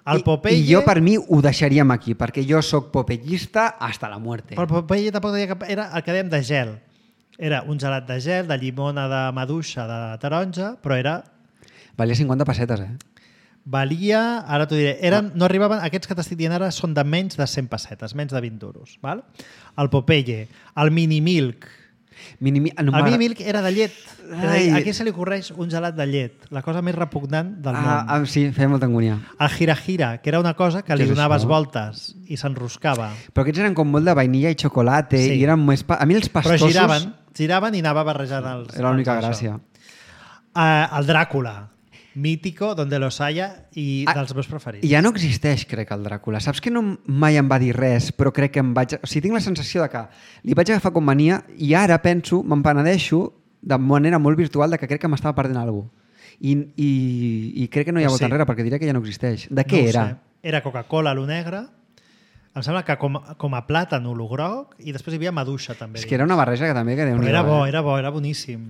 Speaker 2: El
Speaker 3: I,
Speaker 2: Popeye...
Speaker 3: I jo, per mi, ho deixaríem aquí, perquè jo sóc popellista hasta la muerte.
Speaker 2: Però el Popeye tampoc deia que era el que dèiem de gel. Era un gelat de gel, de llimona, de maduixa, de taronja, però era...
Speaker 3: Valia cinquanta pessetes, eh?
Speaker 2: Valia, ara t'ho diré, eren, no arribaven, aquests que t'estic dient ara són de menys de cent pessetes, menys de vint duros. Val? El Popeye, el Mini Milk.
Speaker 3: Mini, no
Speaker 2: El Mini Milk era de llet. Era
Speaker 3: Ai.
Speaker 2: de, a qui se li ocorreix un gelat de llet? La cosa més repugnant del
Speaker 3: Ah,
Speaker 2: món.
Speaker 3: ah, sí, feia molta angúnia.
Speaker 2: El Gira Gira, que era una cosa que
Speaker 3: Què
Speaker 2: li
Speaker 3: és
Speaker 2: donaves
Speaker 3: això?
Speaker 2: voltes i s'enroscava.
Speaker 3: Però aquests eren com molt de vainilla i xocolata
Speaker 2: Sí.
Speaker 3: i eren més... Pa... A mi els
Speaker 2: Però
Speaker 3: pastosos...
Speaker 2: giraven, giraven i anava barrejant els...
Speaker 3: Era l'única
Speaker 2: els
Speaker 3: gràcia.
Speaker 2: Uh, el Dràcula, mítico, donde los haya, i
Speaker 3: Ah,
Speaker 2: dels meus preferits.
Speaker 3: Ja no existeix, crec, el Dràcula. Saps que no mai em va dir res, però crec que em vaig... O sigui, tinc la sensació de que li vaig agafar com mania i ara penso, me'n penedeixo de manera molt virtual de que crec que m'estava perdent alguna cosa. I, i, I crec que no hi ha
Speaker 2: Pues
Speaker 3: volta
Speaker 2: sí.
Speaker 3: enrere, perquè diré que ja no existeix. De què
Speaker 2: No ho
Speaker 3: era?
Speaker 2: sé. Era Coca-Cola, lo negre. Em sembla que com, com a plàtan o lo groc, i després hi havia maduixa, també.
Speaker 3: És que era una barreja que també... Que
Speaker 2: Però
Speaker 3: Déu-n'hi-do,
Speaker 2: era bo,
Speaker 3: eh?
Speaker 2: era bo, era boníssim.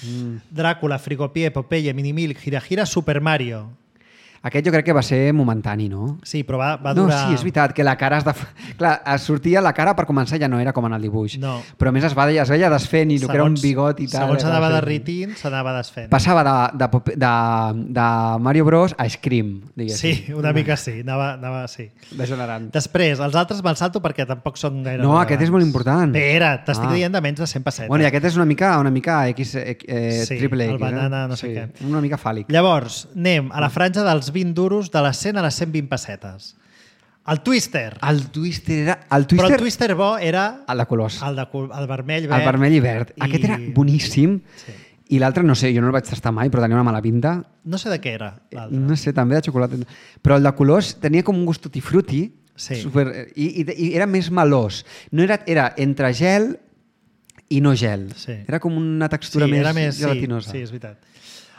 Speaker 3: Mm.
Speaker 2: Dràcula, Frigopie, Popeye, Minimilk, Gira Gira, Super Mario.
Speaker 3: Aquest jo crec que va ser momentani, no?
Speaker 2: Sí, però va, va
Speaker 3: No,
Speaker 2: durar...
Speaker 3: sí, és veritat, que la cara es de... Clar, es sortia la cara per començar ja no era com en el dibuix.
Speaker 2: No.
Speaker 3: Però a més es, va, es veia desfent i el que era un bigot i tal.
Speaker 2: Segons
Speaker 3: era
Speaker 2: anava
Speaker 3: desfent.
Speaker 2: derritint, s'anava desfent.
Speaker 3: Passava de, de, Pop- de, de Mario Bros a Scream, diguéssim.
Speaker 2: Sí, una mica sí, anava, anava sí.
Speaker 3: Degenerant.
Speaker 2: Després, els altres me'ls salto perquè tampoc són gaire
Speaker 3: No,
Speaker 2: rellevants.
Speaker 3: aquest és molt important.
Speaker 2: Espera, t'estic
Speaker 3: Ah.
Speaker 2: dient de menys de cent pessetes.
Speaker 3: Bueno, i aquest és una mica, una mica X, eh,
Speaker 2: Sí,
Speaker 3: triple X.
Speaker 2: el banana
Speaker 3: eh?
Speaker 2: no sé
Speaker 3: sí,
Speaker 2: què.
Speaker 3: Una mica fàl·lic.
Speaker 2: Llavors, anem a la franja dels vint duros de les cent a les cent vint pessetes. El Twister.
Speaker 3: El Twister era... El
Speaker 2: Però
Speaker 3: Twister...
Speaker 2: el Twister bo era
Speaker 3: El de colors.
Speaker 2: el, de, col- el vermell, verd.
Speaker 3: El vermell i verd.
Speaker 2: i-
Speaker 3: Aquest era boníssim.
Speaker 2: Sí.
Speaker 3: I l'altre, no sé, jo no el vaig tastar mai, però tenia una mala pinta.
Speaker 2: No sé de què era l'altre.
Speaker 3: No sé, també de xocolata. Però el de colors tenia com un gust tutti frutti.
Speaker 2: Sí.
Speaker 3: Super, i, i, I era més melós. No era, era entre gel i no gel.
Speaker 2: Sí.
Speaker 3: Era com una textura
Speaker 2: sí,
Speaker 3: més,
Speaker 2: era més
Speaker 3: gelatinosa.
Speaker 2: Sí, sí, és veritat.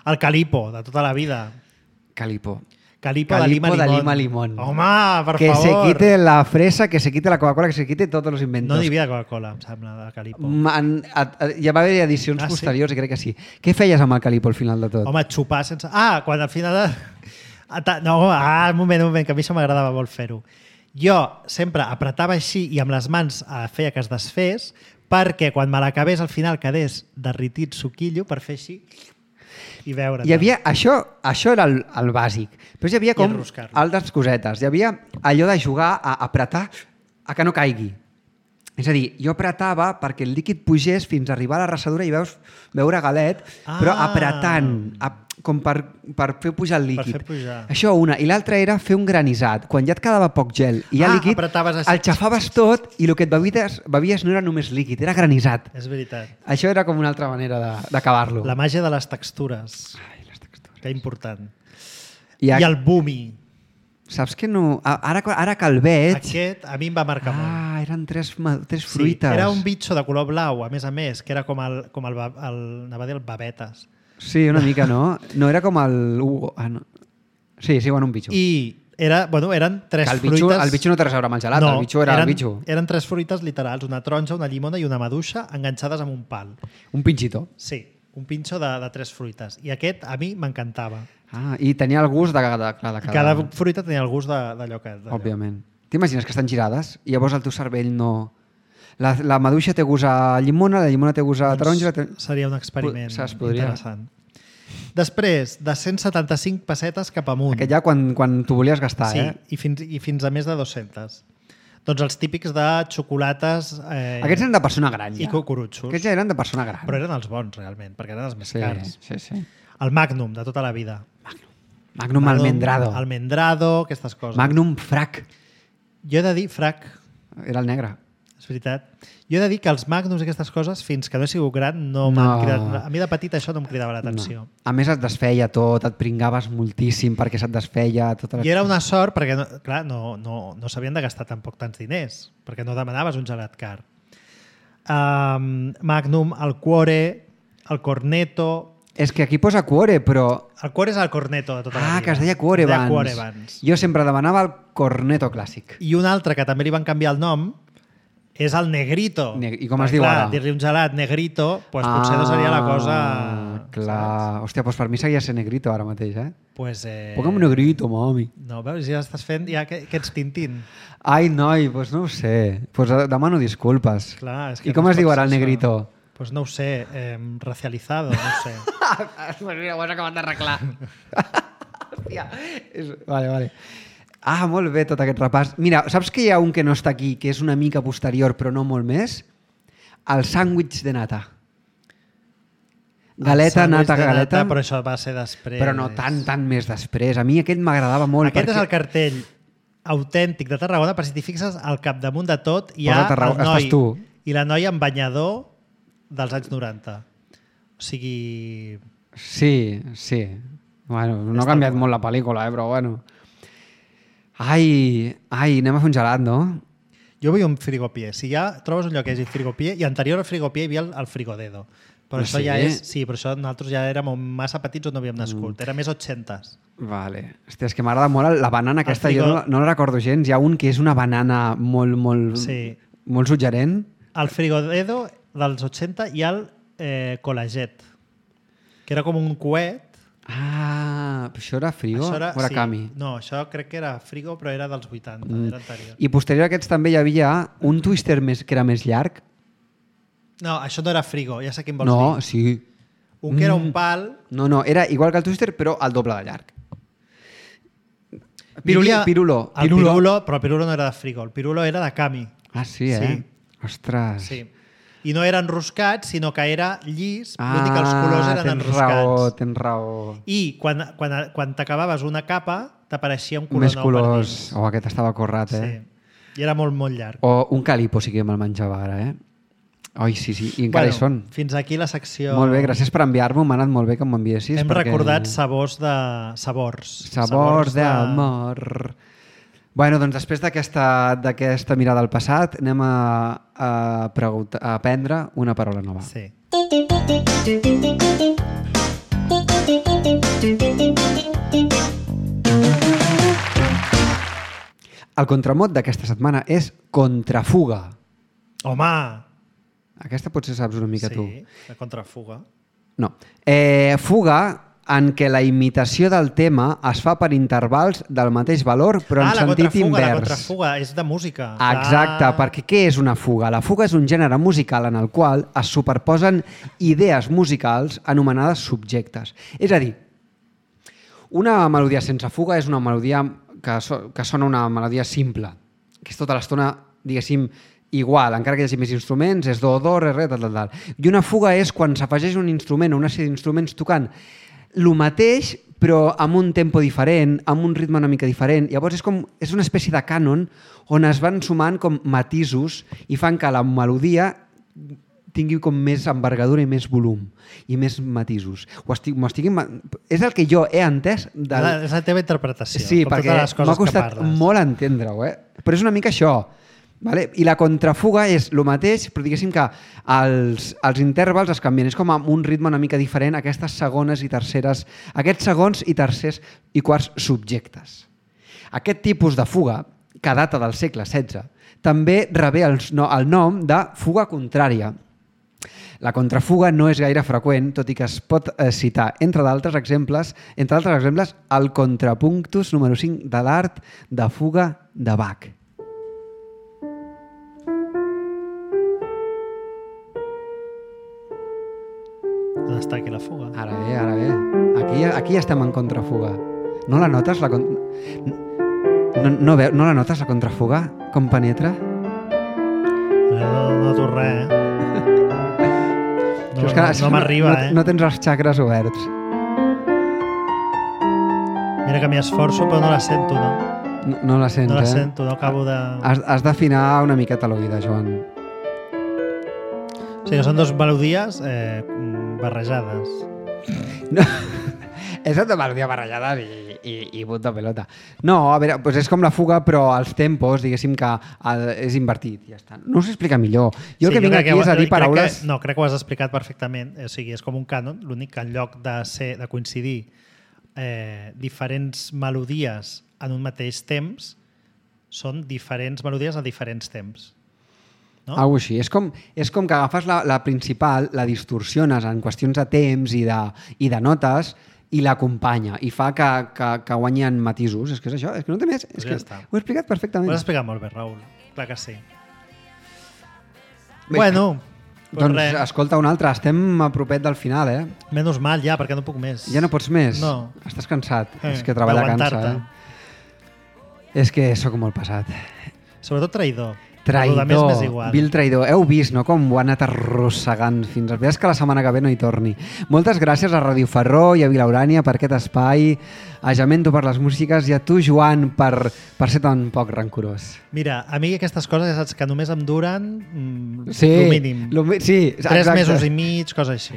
Speaker 2: El Calipo, de tota la vida.
Speaker 3: Calipo.
Speaker 2: Calipo,
Speaker 3: Calipo
Speaker 2: de
Speaker 3: de
Speaker 2: Lima
Speaker 3: Lima
Speaker 2: Limón.
Speaker 3: Limón.
Speaker 2: Home, per
Speaker 3: que
Speaker 2: favor.
Speaker 3: se quite la fresa, que se quite la Coca-Cola, que se quite todos los inventos.
Speaker 2: No n'hi havia Coca-Cola, em sembla, de Calipo.
Speaker 3: Man, a, a, ja va haver edicions
Speaker 2: Ah, sí?
Speaker 3: posteriors i crec que sí. Què feies amb el Calipo al final de tot?
Speaker 2: Home, xupar sense... Ah, quan al final... De... Ah, ta- No, ah, un moment, un moment, que a mi això m'agradava molt fer-ho. Jo sempre apretava així i amb les mans eh, feia que es desfés perquè quan me l'acabés al final quedés derritit suquillo per fer així i veure.
Speaker 3: Hi havia, això, això era el, el bàsic. Però hi havia com
Speaker 2: enroscar-lo.
Speaker 3: altres cosetes. Hi havia allò de jugar a apretar a que no caigui. És a dir, jo apretava perquè el líquid pugés fins a arribar a la rassadura i veus veure galet,
Speaker 2: Ah.
Speaker 3: però apretant, a, com per, per fer pujar el líquid.
Speaker 2: fer pujar.
Speaker 3: Això una. I l'altra era fer un granissat. Quan ja et quedava poc gel i hi ha
Speaker 2: Ah,
Speaker 3: líquid,
Speaker 2: apretaves així.
Speaker 3: el xafaves tot i el que et bevies, bevies no era només líquid, era granissat.
Speaker 2: És veritat.
Speaker 3: Això era com una altra manera de- d'acabar-lo.
Speaker 2: La màgia de les textures.
Speaker 3: Ai, les textures.
Speaker 2: Que important.
Speaker 3: I,
Speaker 2: I
Speaker 3: a...
Speaker 2: el Boomy.
Speaker 3: Saps que no... a- Ara, ara que el veig...
Speaker 2: Aquest a mi em va marcar molt.
Speaker 3: Ah, eren tres, ma- tres
Speaker 2: Sí,
Speaker 3: fruites.
Speaker 2: era un bitxo de color blau, a més a més, que era com el, com el, ba- el, anava a dir el babetes.
Speaker 3: Sí, una mica, no? No era com el Hugo. Ah, no. Sí, sí, bueno, un bitxo.
Speaker 2: I era, bueno, eren tres
Speaker 3: Que el bitxo,
Speaker 2: fruites...
Speaker 3: el bitxo no té res a veure amb el gelat, el bitxo era
Speaker 2: eren,
Speaker 3: el bitxo.
Speaker 2: Eren tres fruites literals, una taronja, una llimona i una maduixa enganxades amb un pal.
Speaker 3: Un pinxito.
Speaker 2: Sí, un pinxo de, de tres fruites. I aquest a mi m'encantava.
Speaker 3: Ah, i tenia el gust de, de, de, de
Speaker 2: I cada fruita tenia el gust de- d'allò que... d'allò.
Speaker 3: Òbviament. T'imagines que estan girades i llavors el teu cervell no... La, la maduixa té gust a llimona, la llimona té gust a taronja... Té...
Speaker 2: Doncs seria un experiment
Speaker 3: Saps, podria.
Speaker 2: interessant. Després, de cent setanta-cinc pessetes cap amunt.
Speaker 3: Aquest ja quan, quan t'ho volies gastar,
Speaker 2: sí,
Speaker 3: eh?
Speaker 2: i fins, i fins a més de dues-centes. Doncs els típics de xocolates eh,
Speaker 3: Aquests eren de persona gran,
Speaker 2: i
Speaker 3: ja.
Speaker 2: cucurutxos.
Speaker 3: Aquests ja eren de persona gran.
Speaker 2: Però eren els bons, realment, perquè eren els més
Speaker 3: sí,
Speaker 2: cars.
Speaker 3: sí, sí.
Speaker 2: El Magnum, de tota la vida.
Speaker 3: Magnum almendrado.
Speaker 2: Almendrado, aquestes coses.
Speaker 3: Magnum frac.
Speaker 2: Jo he de dir, frac,
Speaker 3: Era el negre.
Speaker 2: És veritat. Jo he de dir que els magnums i aquestes coses, fins que no he sigut gran, no,
Speaker 3: No.
Speaker 2: m'han cridat... A mi de petit això no em cridava l'atenció.
Speaker 3: No. A més et desfeia tot, et pringaves moltíssim perquè se't desfeia tota la...
Speaker 2: I era una sort perquè, no, clar, no, no, no s'havien de gastar tampoc tants diners, perquè no demanaves un gelat car. Um, Magnum, el Cuore, el Cornetto...
Speaker 3: És que aquí posa Cuore, però...
Speaker 2: El Cuore és el Cornetto de tota la
Speaker 3: Ah,
Speaker 2: vida.
Speaker 3: que es deia Cuore
Speaker 2: Es deia
Speaker 3: abans.
Speaker 2: Cuore abans.
Speaker 3: Jo sempre demanava el Cornetto clàssic.
Speaker 2: I un altre que també li van canviar el nom és el Negrito.
Speaker 3: Ne- i com es
Speaker 2: Perquè,
Speaker 3: diu
Speaker 2: clar,
Speaker 3: ara?
Speaker 2: dir-li un gelat Negrito, doncs potser no seria la cosa...
Speaker 3: Clar. Hòstia, doncs per mi seguia sent Negrito ara mateix, eh?
Speaker 2: Pues, eh...
Speaker 3: Posa'm un Negrito, mami.
Speaker 2: No, veus, ja estàs fent... Ja que, que ets Tintín.
Speaker 3: Ai, noi, doncs no ho sé. Doncs demano disculpes.
Speaker 2: Clar, és que
Speaker 3: I com
Speaker 2: no
Speaker 3: es diu
Speaker 2: pot
Speaker 3: ara el
Speaker 2: ser això.
Speaker 3: Negrito?
Speaker 2: Pues no ho sé, eh, racializado, no ho sé.
Speaker 3: Pues mira, ho has acabat d'arreglar. Hòstia. És... Vale, vale. Ah, molt bé tot aquest repàs. Mira, saps que hi ha un que no està aquí, que és una mica posterior, però no molt més? El sàndwich de nata. Galeta,
Speaker 2: El
Speaker 3: nata,
Speaker 2: sàndwich de
Speaker 3: galeta.
Speaker 2: Però això va ser després.
Speaker 3: Però no tant, tant més després. A mi aquest m'agradava molt.
Speaker 2: Aquest
Speaker 3: perquè...
Speaker 2: és el cartell autèntic de Tarragona, per si t'hi fixes, al capdamunt de tot hi ha
Speaker 3: Posa Tarragona,
Speaker 2: el noi
Speaker 3: estàs tu.
Speaker 2: i la noia amb banyador dels anys noranta. O sigui...
Speaker 3: Sí, sí. Bueno, no
Speaker 2: Està
Speaker 3: ha canviat
Speaker 2: guai.
Speaker 3: molt la pel·lícula, eh, però bueno. Ai, ai, anem a fer un gelat, no?
Speaker 2: Jo vull un frigopié. Si ja trobes un lloc que hi hagi frigopié, i anterior al frigopié hi havia el, el frigodedo. Però
Speaker 3: Ah,
Speaker 2: això
Speaker 3: sí?
Speaker 2: ja és... Sí, però això nosaltres ja érem massa petits on no havíem nascut.
Speaker 3: Mm.
Speaker 2: Era més ochentes.
Speaker 3: Vale. Hòstia, és que m'agrada molt la banana aquesta.
Speaker 2: frigo-
Speaker 3: Jo no, no la recordo gens. Hi ha un que és una banana molt, molt,
Speaker 2: Sí.
Speaker 3: molt suggerent.
Speaker 2: Al frigodedo dels ochenta hi ha el eh, colaget, que era com un coet.
Speaker 3: Ah, però això era frigo
Speaker 2: Això era,
Speaker 3: o era
Speaker 2: sí,
Speaker 3: cami?
Speaker 2: No, això crec que era frigo, però era dels vuitanta,
Speaker 3: Mm.
Speaker 2: era anterior.
Speaker 3: I posterior a aquests també hi havia un twister més, que era més llarg.
Speaker 2: No, això no era frigo, ja sé quin vols
Speaker 3: No,
Speaker 2: dir.
Speaker 3: sí.
Speaker 2: Un que era
Speaker 3: Mm.
Speaker 2: un pal...
Speaker 3: No, no, era igual que el twister, però el doble de llarg.
Speaker 2: Hi
Speaker 3: Piruli,
Speaker 2: havia
Speaker 3: pirulo.
Speaker 2: El pirulo, però el pirulo no era de frigo, el pirulo era de cami.
Speaker 3: Ah, sí, eh?
Speaker 2: Sí.
Speaker 3: Ostres.
Speaker 2: Sí. I no era enroscat, sinó que era llis, l'únic que els colors eren
Speaker 3: Ah, tens
Speaker 2: enroscats.
Speaker 3: raó, tens raó.
Speaker 2: I quan, quan, quan t'acabaves una capa, t'apareixia un color
Speaker 3: Més
Speaker 2: nou
Speaker 3: colors.
Speaker 2: per dins.
Speaker 3: Oh, aquest estava corrat, eh?
Speaker 2: Sí. I era molt, molt llarg.
Speaker 3: O un calipo sí que me'l menjava ara, eh? Oi, sí, sí, i encara hi són.
Speaker 2: Fins aquí la secció...
Speaker 3: Molt bé, gràcies per enviar-m'ho, m'ha anat molt bé que m'enviessis.
Speaker 2: Hem
Speaker 3: perquè...
Speaker 2: recordat sabors de... Sabors.
Speaker 3: Sabors d'amor. Bueno, doncs després d'aquesta d'aquesta mirada al passat anem a, a, preguntar, a aprendre una paraula nova.
Speaker 2: Sí.
Speaker 3: El contramot d'aquesta setmana és contrafuga.
Speaker 2: Home!
Speaker 3: Aquesta potser saps una mica
Speaker 2: sí,
Speaker 3: tu.
Speaker 2: la contrafuga.
Speaker 3: No. Eh, fuga en què la imitació del tema es fa per intervals del mateix valor però en
Speaker 2: ah, la
Speaker 3: sentit
Speaker 2: contrafuga,
Speaker 3: invers.
Speaker 2: la contrafuga, és de música.
Speaker 3: Exacte,
Speaker 2: Ah.
Speaker 3: perquè què és una fuga? La fuga és un gènere musical en el qual es superposen idees musicals anomenades subjectes. És a dir, una melodia sense fuga és una melodia que, so, que sona una melodia simple, que és tota l'estona, diguéssim, igual, encara que hi hagi més instruments, és do, do, re, re, tal, tal, tal. I una fuga és quan s'afegeix un instrument o una sèrie d'instruments tocant el mateix, però amb un tempo diferent, amb un ritme una mica diferent. Llavors és, com, és una espècie de cànon on es van sumant com matisos i fan que la melodia tingui com més envergadura i més volum i més matisos. Ho estic, estic, és el que jo he entès del...
Speaker 2: La, és la teva interpretació.
Speaker 3: Sí,
Speaker 2: com
Speaker 3: perquè
Speaker 2: totes les coses
Speaker 3: m'ha costat
Speaker 2: que parles.
Speaker 3: molt entendre-ho, eh? Però és una mica això. Vale? I la contrafuga és el mateix, però diguéssim que els, els intervals es canvien. És com amb un ritme una mica diferent, aquestes segones i terceres, aquests segons i tercers i quarts subjectes. Aquest tipus de fuga, que data del segle setze, també rebé el, no, el nom de fuga contrària. La contrafuga no és gaire freqüent, tot i que es pot eh, citar, entre d'altres exemples, entre altres exemples, el contrapunctus número cinc de l'art de fuga de Bach.
Speaker 2: On està aquí la fuga?
Speaker 3: Ara bé, ara bé. Aquí, aquí estem en contrafuga. No la notes, la con... no, no, veu, no la notes, la contrafuga? Com penetra?
Speaker 2: No, no noto res, eh? No,
Speaker 3: És que
Speaker 2: no, no m'arriba,
Speaker 3: no,
Speaker 2: eh?
Speaker 3: No tens els xacres oberts.
Speaker 2: Mira que m'hi esforço, però no la sento, no?
Speaker 3: No, no la sents,
Speaker 2: No la
Speaker 3: eh?
Speaker 2: sento, no acabo de...
Speaker 3: Has, has d'afinar una miqueta l'oïda, Joan.
Speaker 2: O sigui que són dues melodies eh, barrejades.
Speaker 3: No. És una melodia barrejada i, i, i puta pelota. No, a veure, doncs és com la fuga, però als tempos, diguéssim que el, és invertit. Ja està. No us explica millor. Jo el
Speaker 2: sí,
Speaker 3: que vinc aquí
Speaker 2: que,
Speaker 3: és a dir paraules...
Speaker 2: Que, no, crec que ho has explicat perfectament. O sigui, és com un cànon, l'únic que en lloc de, ser, de coincidir eh, diferents melodies en un mateix temps, són diferents melodies a diferents temps. No?
Speaker 3: Algo així. És com, és com que agafes la, la principal, la distorsiones en qüestions de temps i de, i de notes i l'acompanya i fa que, que, que guanyi en matisos. És que és això, és que no té més. És
Speaker 2: Pues
Speaker 3: que
Speaker 2: ja està.
Speaker 3: ho he explicat perfectament.
Speaker 2: Ho has explicat molt bé, Raül. Clar que sí.
Speaker 3: Bé,
Speaker 2: bueno, pues
Speaker 3: doncs
Speaker 2: res.
Speaker 3: escolta un altre, estem a propet del final, eh?
Speaker 2: Menys mal ja, perquè no puc més.
Speaker 3: Ja no pots més?
Speaker 2: No.
Speaker 3: Estàs cansat?
Speaker 2: Eh,
Speaker 3: és que treballar cansa,
Speaker 2: d'aguantar-te.
Speaker 3: eh? És que sóc molt pesat.
Speaker 2: Sobretot traïdor.
Speaker 3: Traïdor,
Speaker 2: El de més m'és igual.
Speaker 3: vil traïdor. Heu vist, no?, com ho ha anat arrossegant fins al... És que la setmana que ve no hi torni. Moltes gràcies a Ràdio Ferró i a Vila Urània per aquest espai, a Jamento per les músiques i a tu, Joan, per, per ser tan poc rancorós.
Speaker 2: Mira, a mi aquestes coses ja saps que només em duren mm,
Speaker 3: Sí,
Speaker 2: el mínim.
Speaker 3: lo mi- sí,
Speaker 2: Tres
Speaker 3: exacte.
Speaker 2: mesos i mig, cosa així.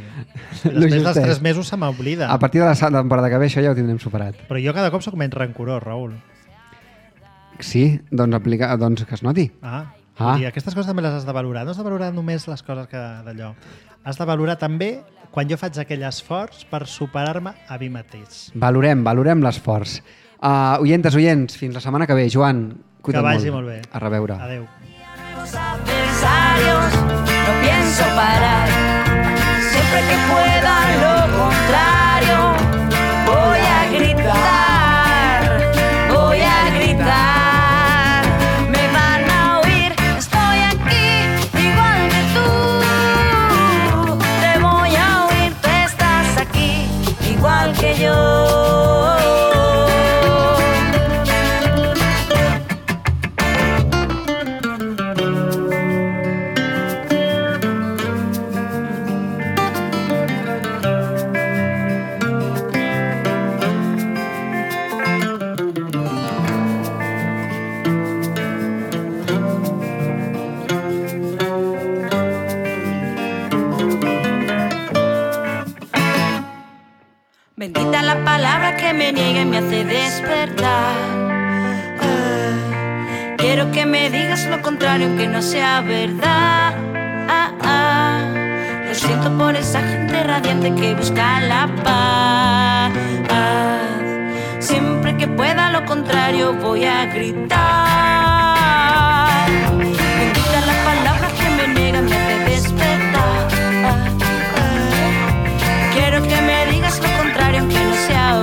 Speaker 3: Lo
Speaker 2: Després dels
Speaker 3: justet.
Speaker 2: tres mesos se m'oblida.
Speaker 3: A partir de la temporada que ve això ja ho tindrem superat.
Speaker 2: Però jo cada cop sóc menys rancorós, Raül.
Speaker 3: Sí, doncs, aplica, doncs que es noti.
Speaker 2: Ah,
Speaker 3: Ah.
Speaker 2: vull dir, aquestes coses també les has de valorar. No has de valorar només les coses que d'allò. Has de valorar també quan jo faig aquell esforç per superar-me a mi mateix.
Speaker 3: Valorem, valorem l'esforç. Uh, oyentes, oyents, fins la setmana que ve. Joan, cuida't
Speaker 2: Que vagi
Speaker 3: molt.
Speaker 2: molt bé.
Speaker 3: A reveure.
Speaker 2: Adéu.
Speaker 7: Adversarios, no pienso parar. Siempre que pueda lo contrario, voy a gritar, voy a gritar. Me van a oír, estoy aquí, igual que tú. Te voy a oír, tú estás aquí, igual que yo. Bendita la palabra que me niega y me hace despertar. Ah, quiero que me digas lo contrario aunque no sea verdad. Ah, ah, lo siento por esa gente radiante que busca la paz. Siempre que pueda lo contrario voy a gritar. Bendita la palabra que me niega y me hace despertar. Ah, ah, quiero que me digas lo contrario aunque no sea